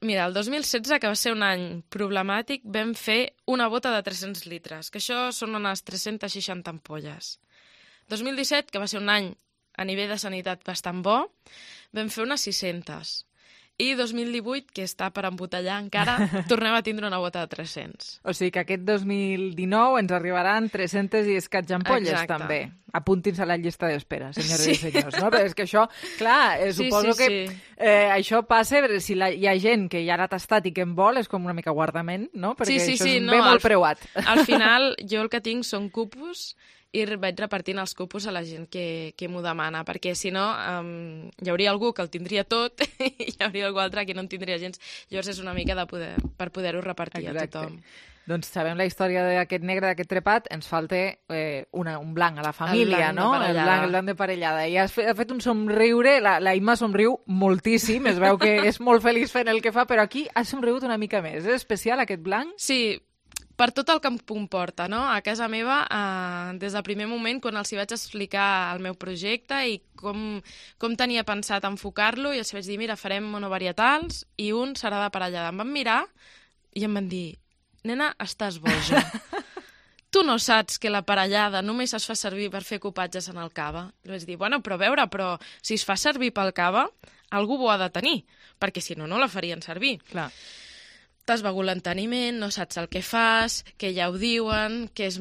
Mira, el 2016, que va ser un any problemàtic, vam fer una bota de 300 litres, que això són unes 360 ampolles. 2017, que va ser un any a nivell de sanitat bastant bo, vam fer unes 600. I 2018, que està per embotellar encara, tornem a tindre una bota de 300. O sigui que aquest 2019 ens arribaran 300 i escaig ampolles, també. Apuntin-se a la llista d'espera, senyores i senyors. No? Però és que això, clar, suposo que això passa, si hi ha gent que ja l'ha tastat i que en vol, és com una mica guardament, no? Perquè això és molt preuat. Al final, jo el que tinc són cupos i vaig repartint els cupos a la gent que m'ho demana, perquè si no hi hauria algú que el tindria tot i hi hauria algú altre que no en tindria gens. Llavors és una mica per poder-ho repartir a tothom. Doncs sabem la història d'aquest negre, d'aquest trepat, ens falta un blanc a la família, no? El blanc de parellada. I has fet un somriure, la Imma somriu moltíssim, es veu que és molt feliç fent el que fa, però aquí has somrigut una mica més. És especial aquest blanc? Sí, per tot el que em comporta, no? A casa meva, des del primer moment, quan els hi vaig explicar el meu projecte i com tenia pensat enfocar-lo, i els vaig dir, mira, farem monovarietals i un serà de parellada. Em van mirar i em van dir, nena, estàs boja. Tu no saps que la parellada només es fa servir per fer copatges en el cava? I vaig dir, bueno, però a veure, si es fa servir pel cava, algú ho ha de tenir, perquè si no, no la farien servir. Clar. T'has begut l'enteniment, no saps el que fas, que ja ho diuen, que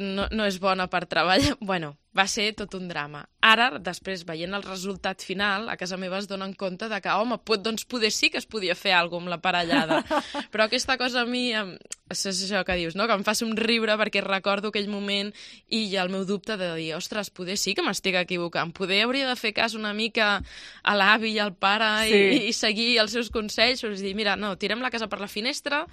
no és bona per treballar... Bueno, va ser tot un drama. Ara, després, veient el resultat final, a casa meva es donen compte de que, home, doncs poder sí que es podia fer alguna cosa amb la parellada. Però aquesta cosa a mi, és això que dius, no? Que em fa somriure perquè recordo aquell moment i hi ha el meu dubte de dir, ostres, poder sí que m'estic equivocant, poder hauria de fer cas una mica a l'avi i al pare i seguir els seus consells, és dir, mira, no, tirem la casa per la finestra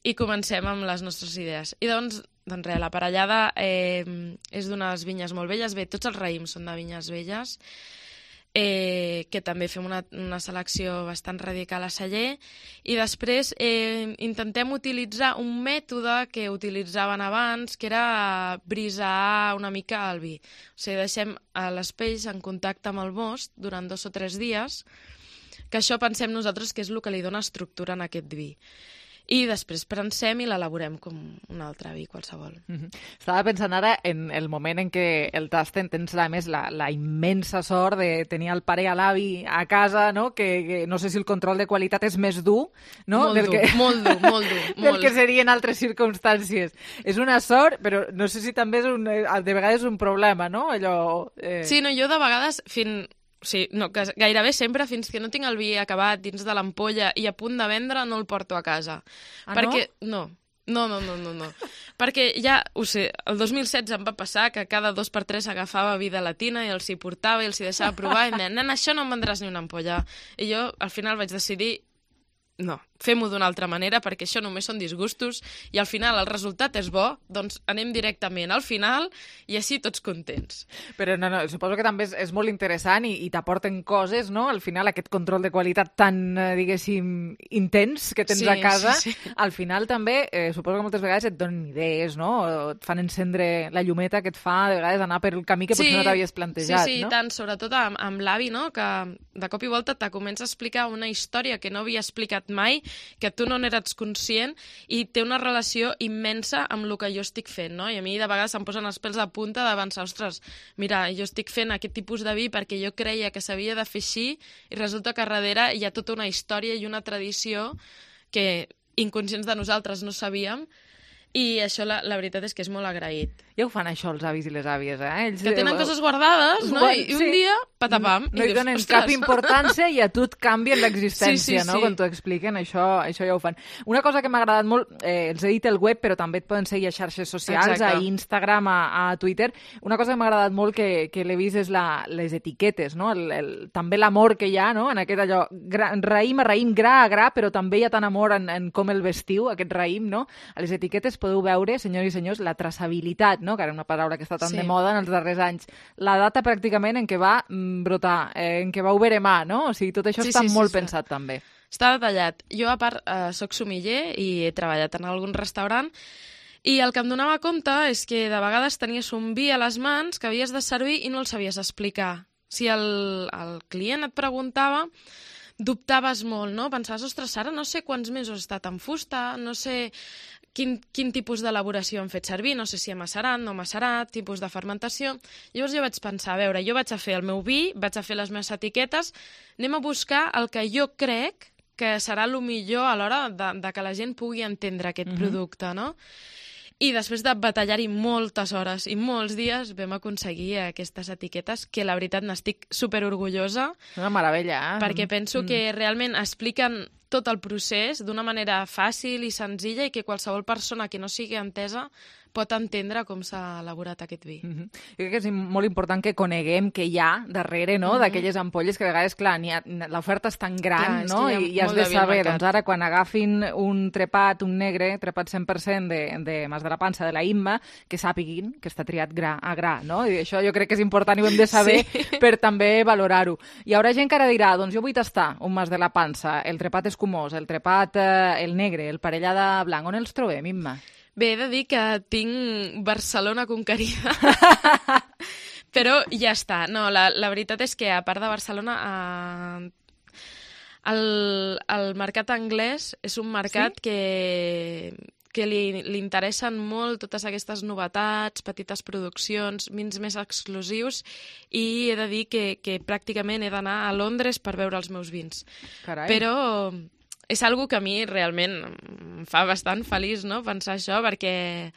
i comencem amb les nostres idees. I doncs res, la parellada és d'unes vinyes molt velles. Bé, tots els raïms són de vinyes velles, que també fem una selecció bastant radical a celler. I després intentem utilitzar un mètode que utilitzaven abans, que era brisar una mica el vi. O sigui, deixem les pells en contacte amb el most durant 2 o 3 dies, que això pensem nosaltres que és el que li dona estructura en aquest vi. I després prensem i l'elaborem com un altre vi qualsevol. Estava pensant ara en el moment en què el tasten, tens a més la immensa sort de tenir el pare i l'avi a casa, no? Que no sé si el control de qualitat és més dur, no? Molt dur. Del que seria en altres circumstàncies. És una sort, però no sé si també de vegades és un problema, no? Sí, no, jo de vegades Sí, no, que gairebé sempre, fins que no tinc el vi acabat dins de l'ampolla i a punt de vendre, no el porto a casa. Perquè, no? No. Perquè ja, ho sé, el 2016 em va passar que cada 2 per 3 agafava vi de la tina i els hi portava i els hi deixava provar i em deien, nena, això no em vendràs ni una ampolla. I jo, al final, vaig decidir no, fem-ho d'una altra manera perquè això només són disgustos i al final el resultat és bo, doncs anem directament al final i així tots contents. Però no, suposo que també és molt interessant i t'aporten coses, no? Al final aquest control de qualitat tan, diguéssim, intens que tens a casa, sí. Al final també suposo que moltes vegades et donen idees, no? O et fan encendre la llumeta que et fa de vegades anar per el camí que potser no t'havies plantejat, no? Sí, tant, sobretot amb l'avi, no? Que de cop i volta te comença a explicar una història que no havia explicat mai, que tu no n'eres conscient i té una relació immensa amb el que jo estic fent, no? I a mi de vegades em posen els pèls de punta de pensar, ostres, mira, jo estic fent aquest tipus de vi perquè jo creia que s'havia de fer així i resulta que darrere hi ha tota una història i una tradició que inconscients de nosaltres no sabíem i això la veritat és que és molt agraït. Ja ho fan això els avis i les àvies, Ells que tenen coses guardades, no? I un dia, patapam. No hi donen cap importància i a tu et canvien l'existència, no? Quan t'ho expliquen, això ja ho fan. Una cosa que m'ha agradat molt, els he dit el web, però també et poden seguir a xarxes socials, a Instagram, a Twitter. Una cosa que m'ha agradat molt que l'he vist és les etiquetes, no? També l'amor que hi ha, no? En aquest allò, raïm a raïm, gra a gra, però també hi ha tant amor en com el vestiu, aquest raïm, no? A les etiquetes podeu veure, senyors i senyors, la traçabilitat, no? Que era una paraula que està tan de moda en els darrers anys. La data pràcticament en què va brotar, en què va oberemar, no? O sigui, tot això està molt pensat també. Està detallat. Jo, a part, soc sommelier i he treballat en algun restaurant i el que em donava compte és que de vegades tenies un vi a les mans que havies de servir i no el sabies explicar. Si el client et preguntava, dubtaves molt, no? Pensaves, ostres, ara no sé quants mesos ha estat en fusta, no sé quin tipus d'elaboració han fet servir, no sé si ha macerat, no macerat, tipus de fermentació. Llavors jo vaig pensar, a veure, jo vaig a fer el meu vi, vaig a fer les meves etiquetes, anem a buscar el que jo crec que serà el millor a l'hora de que la gent pugui entendre aquest producte, no? I després de batallar-hi moltes hores i molts dies vam aconseguir aquestes etiquetes que la veritat n'estic superorgullosa. Una meravella, Perquè penso que realment expliquen tot el procés d'una manera fàcil i senzilla i que qualsevol persona que no sigui entesa pot entendre com s'ha elaborat aquest vi. Jo crec que és molt important que coneguem què hi ha darrere, no?, d'aquelles ampolles que a vegades, clar, l'oferta és tan gran, no?, i has de saber, doncs ara quan agafin un trepat, un negre, trepat 100% de Mas de la Pansa, de la Imma, que sàpiguin que està triat gra a gra, no? I això jo crec que és important i ho hem de saber per també valorar-ho. Hi haurà gent que ara dirà, doncs jo vull tastar un Mas de la Pansa, el trepat escumós, el trepat, el negre, el parellada blanc. On els trobem, Imma? Bé, he de dir que tinc Barcelona conquerida, però ja està. No, la veritat és que, a part de Barcelona, el mercat anglès és un mercat que li interessen molt totes aquestes novetats, petites produccions, vins més exclusius, i he de dir que pràcticament he d'anar a Londres per veure els meus vins. Carai. Però és algo que a mi realment em fa bastant feliç, no?, pensar això, perquè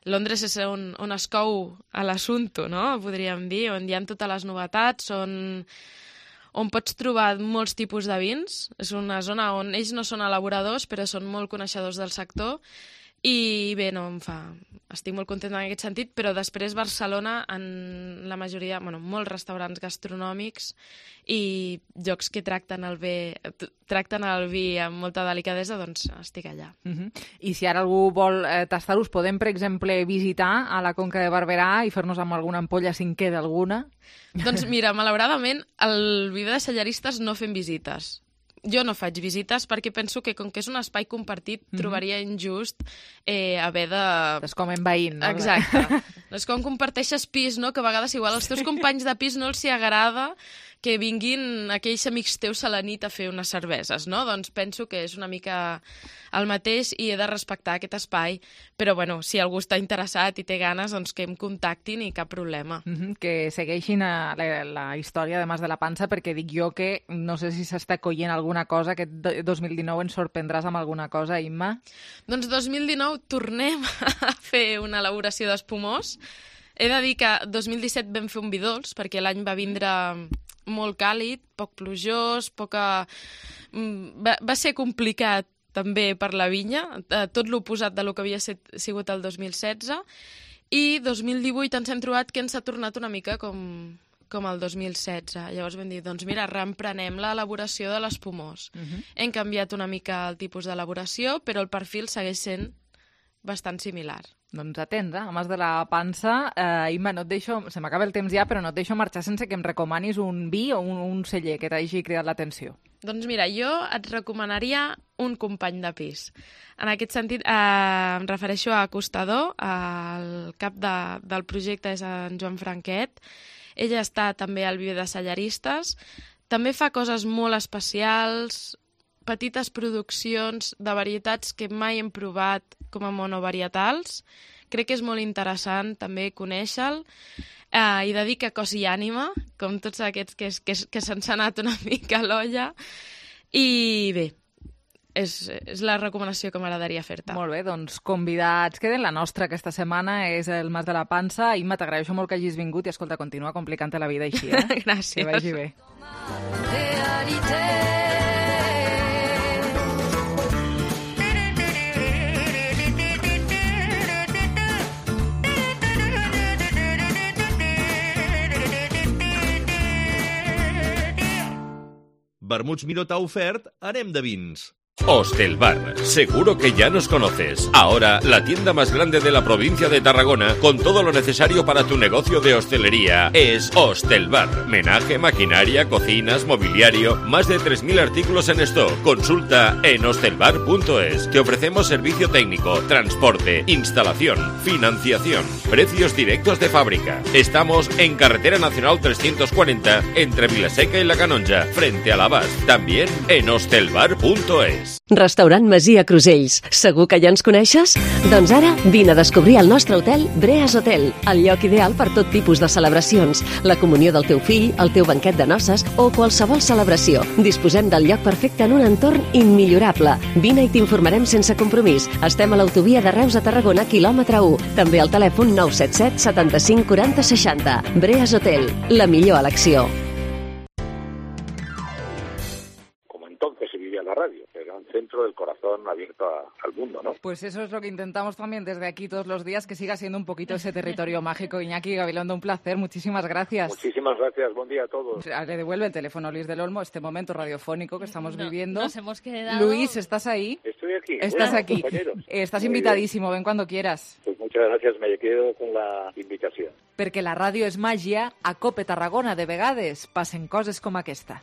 Londres és on es cou a l'assumpte, no?, podríem dir, on hi ha totes les novetats, on pots trobar molts tipus de vins. És una zona on ells no són elaboradors, però són molt coneixedors del sector. I bé, estic molt contenta en aquest sentit, però després Barcelona, en la majoria, molts restaurants gastronòmics i llocs que tracten el vi amb molta delicadesa, doncs estic allà. I si ara algú vol tastar-los, podem, per exemple, visitar a la Conca de Barberà i fer-nos amb alguna ampolla si en queda alguna? Doncs mira, malauradament, al Viver de Cellaristes no fem visites. Jo no faig visites perquè penso que, com que és un espai compartit, trobaria injust haver de... És com envaint, no? Exacte. És com comparteixes pis, no?, que a vegades igual als teus companys de pis no els hi agrada que vinguin aquells amics teus a la nit a fer unes cerveses, no? Doncs penso que és una mica el mateix i he de respectar aquest espai, però bueno, si algú està interessat i té ganes, doncs que em contactin i cap problema. Que segueixin la història de Mas de la Pansa, perquè dic jo que no sé si s'està collint alguna cosa, que 2019 ens sorprendràs amb alguna cosa, Imma? Doncs 2019 tornem a fer una elaboració d'espumós. He de dir que 2017 vam fer un vi dolç, perquè l'any va vindre molt càlid, poc plujós, va ser complicat també per la vinya, tot l'oposat de lo que havia sigut el 2016, i 2018 ens hem trobat que ens ha tornat una mica com el 2016. Llavors vam dir, doncs mira, reemprenem l'elaboració de l'espumós. Hem canviat una mica el tipus d'elaboració, però el perfil segueix sent bastant similar. Doncs atents, a més de la pansa. Imma, no et deixo, se m'acaba el temps ja, però no et deixo marxar sense que em recomanis un vi o un celler que t'hagi cridat l'atenció. Doncs mira, jo et recomanaria un company de pis. En aquest sentit, em refereixo a Acostador, el cap del projecte és en Joan Franquet. Ella està també al viver de cellaristes. També fa coses molt especials, petites produccions de varietats que mai hem provat com a monovarietals. Crec que és molt interessant també conèixer-lo. I dedica cos i ànima, com tots aquests que se'ns ha anat una mica a l'olla. I bé, és la recomanació que m'agradaria fer-te. Molt bé, doncs convidats queden. La nostra aquesta setmana és el Mas de la Pansa. Imma, t'agraeixo molt que hagis vingut i, escolta, continua complicant-te la vida així, Gràcies. Que vagi bé. Vermuts Minot ha ofert Anem de vins. Hostelbar, seguro que ya nos conoces. Ahora, la tienda más grande de la provincia de Tarragona, con todo lo necesario para tu negocio de hostelería, es Hostelbar. Menaje, maquinaria, cocinas, mobiliario, más de 3.000 artículos en stock. Consulta en hostelbar.es. Te ofrecemos servicio técnico, transporte, instalación, financiación, precios directos de fábrica. Estamos en Carretera Nacional 340, entre Vilaseca y La Canonja, frente a l'Abast. También en hostelbar.es. Restaurant Masia Crusells. Segur que ja ens coneixes? Doncs ara vine a descobrir el nostre hotel Breas Hotel, el lloc ideal per tot tipus de celebracions, la comunió del teu fill, el teu banquet de noces o qualsevol celebració. Disposem del lloc perfecte en un entorn immillorable. Vine i t'informarem sense compromís. Estem a l'autovia de Reus a Tarragona, quilòmetre 1. També al telèfon 977 75 40 60. Breas Hotel, la millor elecció. Entonces se vivía la radio, era un centro del corazón abierto al mundo, ¿no? Pues eso es lo que intentamos también desde aquí todos los días, que siga siendo un poquito ese territorio mágico. Iñaki Gabilondo, un placer, muchísimas gracias. Muchísimas gracias, buen día a todos. Le devuelve el teléfono Luis del Olmo, este momento radiofónico que estamos viviendo. Nos hemos quedado... Luis, ¿estás ahí? Estoy aquí. Estás Bueno, aquí. compañeros. Estás Muy invitadísimo, ven cuando quieras. Pues muchas gracias, me quedo con la invitación. Perquè la ràdio és màgia, a Cope Tarragona de vegades passen coses com aquesta.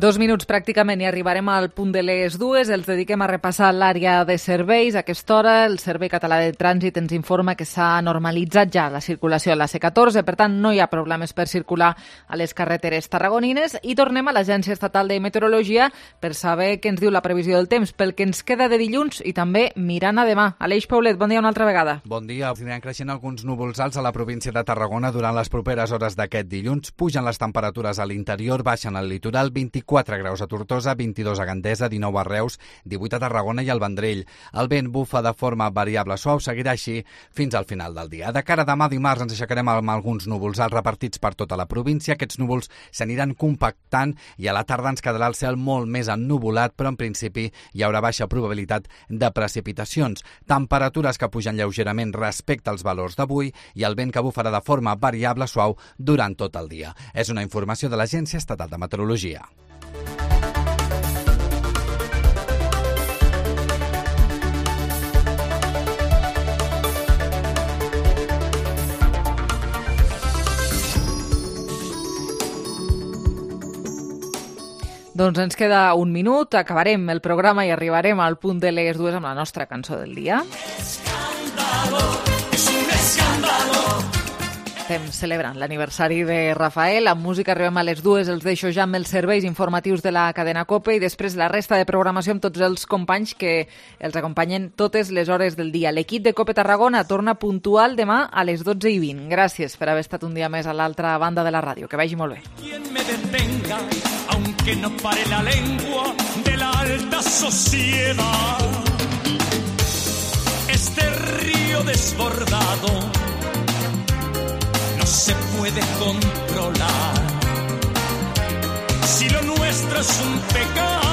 Dos minuts pràcticament i arribarem al punt de les dues. Els dediquem a repassar l'àrea de serveis. A aquesta hora el Servei Català de Trànsit ens informa que s'ha normalitzat ja la circulació a la C14, per tant no hi ha problemes per circular a les carreteres tarragonines. I tornem a l'Agència Estatal de Meteorologia per saber què ens diu la previsió del temps, pel que ens queda de dilluns i també mirant a demà. Aleix Paulet, bon dia una altra vegada. Bon dia. Aniran creixent alguns núvols alts a la província de Tarragona durant les properes hores d'aquest dilluns. Pugen les temperatures a l'interior, baixen al litoral, 24 graus a Tortosa, 22 a Gandesa, 19 a Reus, 18 a Tarragona i al Vendrell. El vent bufa de forma variable suau, seguirà així fins al final del dia. De cara a demà dimarts ens aixecarem amb alguns núvols alts repartits per tota la província. Aquests núvols s'aniran compactant i a la tarda ens quedarà el cel molt més ennuvolat, però en principi hi haurà baixa probabilitat de precipitacions. Temperatures que pugen lleugerament respecte als valors d'avui i el vent que bufarà de forma variable suau durant tot el dia. És una informació de l'Agència Estatal de Meteorologia. Doncs ens queda un minut, acabarem el programa i arribarem al punt de les dues amb la nostra cançó del dia. Estem celebrant l'aniversari de Rafael. Amb música arribem a les dues, els deixo ja amb els serveis informatius de la cadena COPE i després la resta de programació amb tots els companys que els acompanyen totes les hores del dia. L'equip de COPE Tarragona torna puntual demà a les 12:20. Gràcies per haver estat un dia més a l'altra banda de la ràdio. Que vagi molt bé. Quien me detenga, aunque no pare la lengua de la alta sociedad. este río desbordado no se puede controlar. Si lo nuestro es un pecado,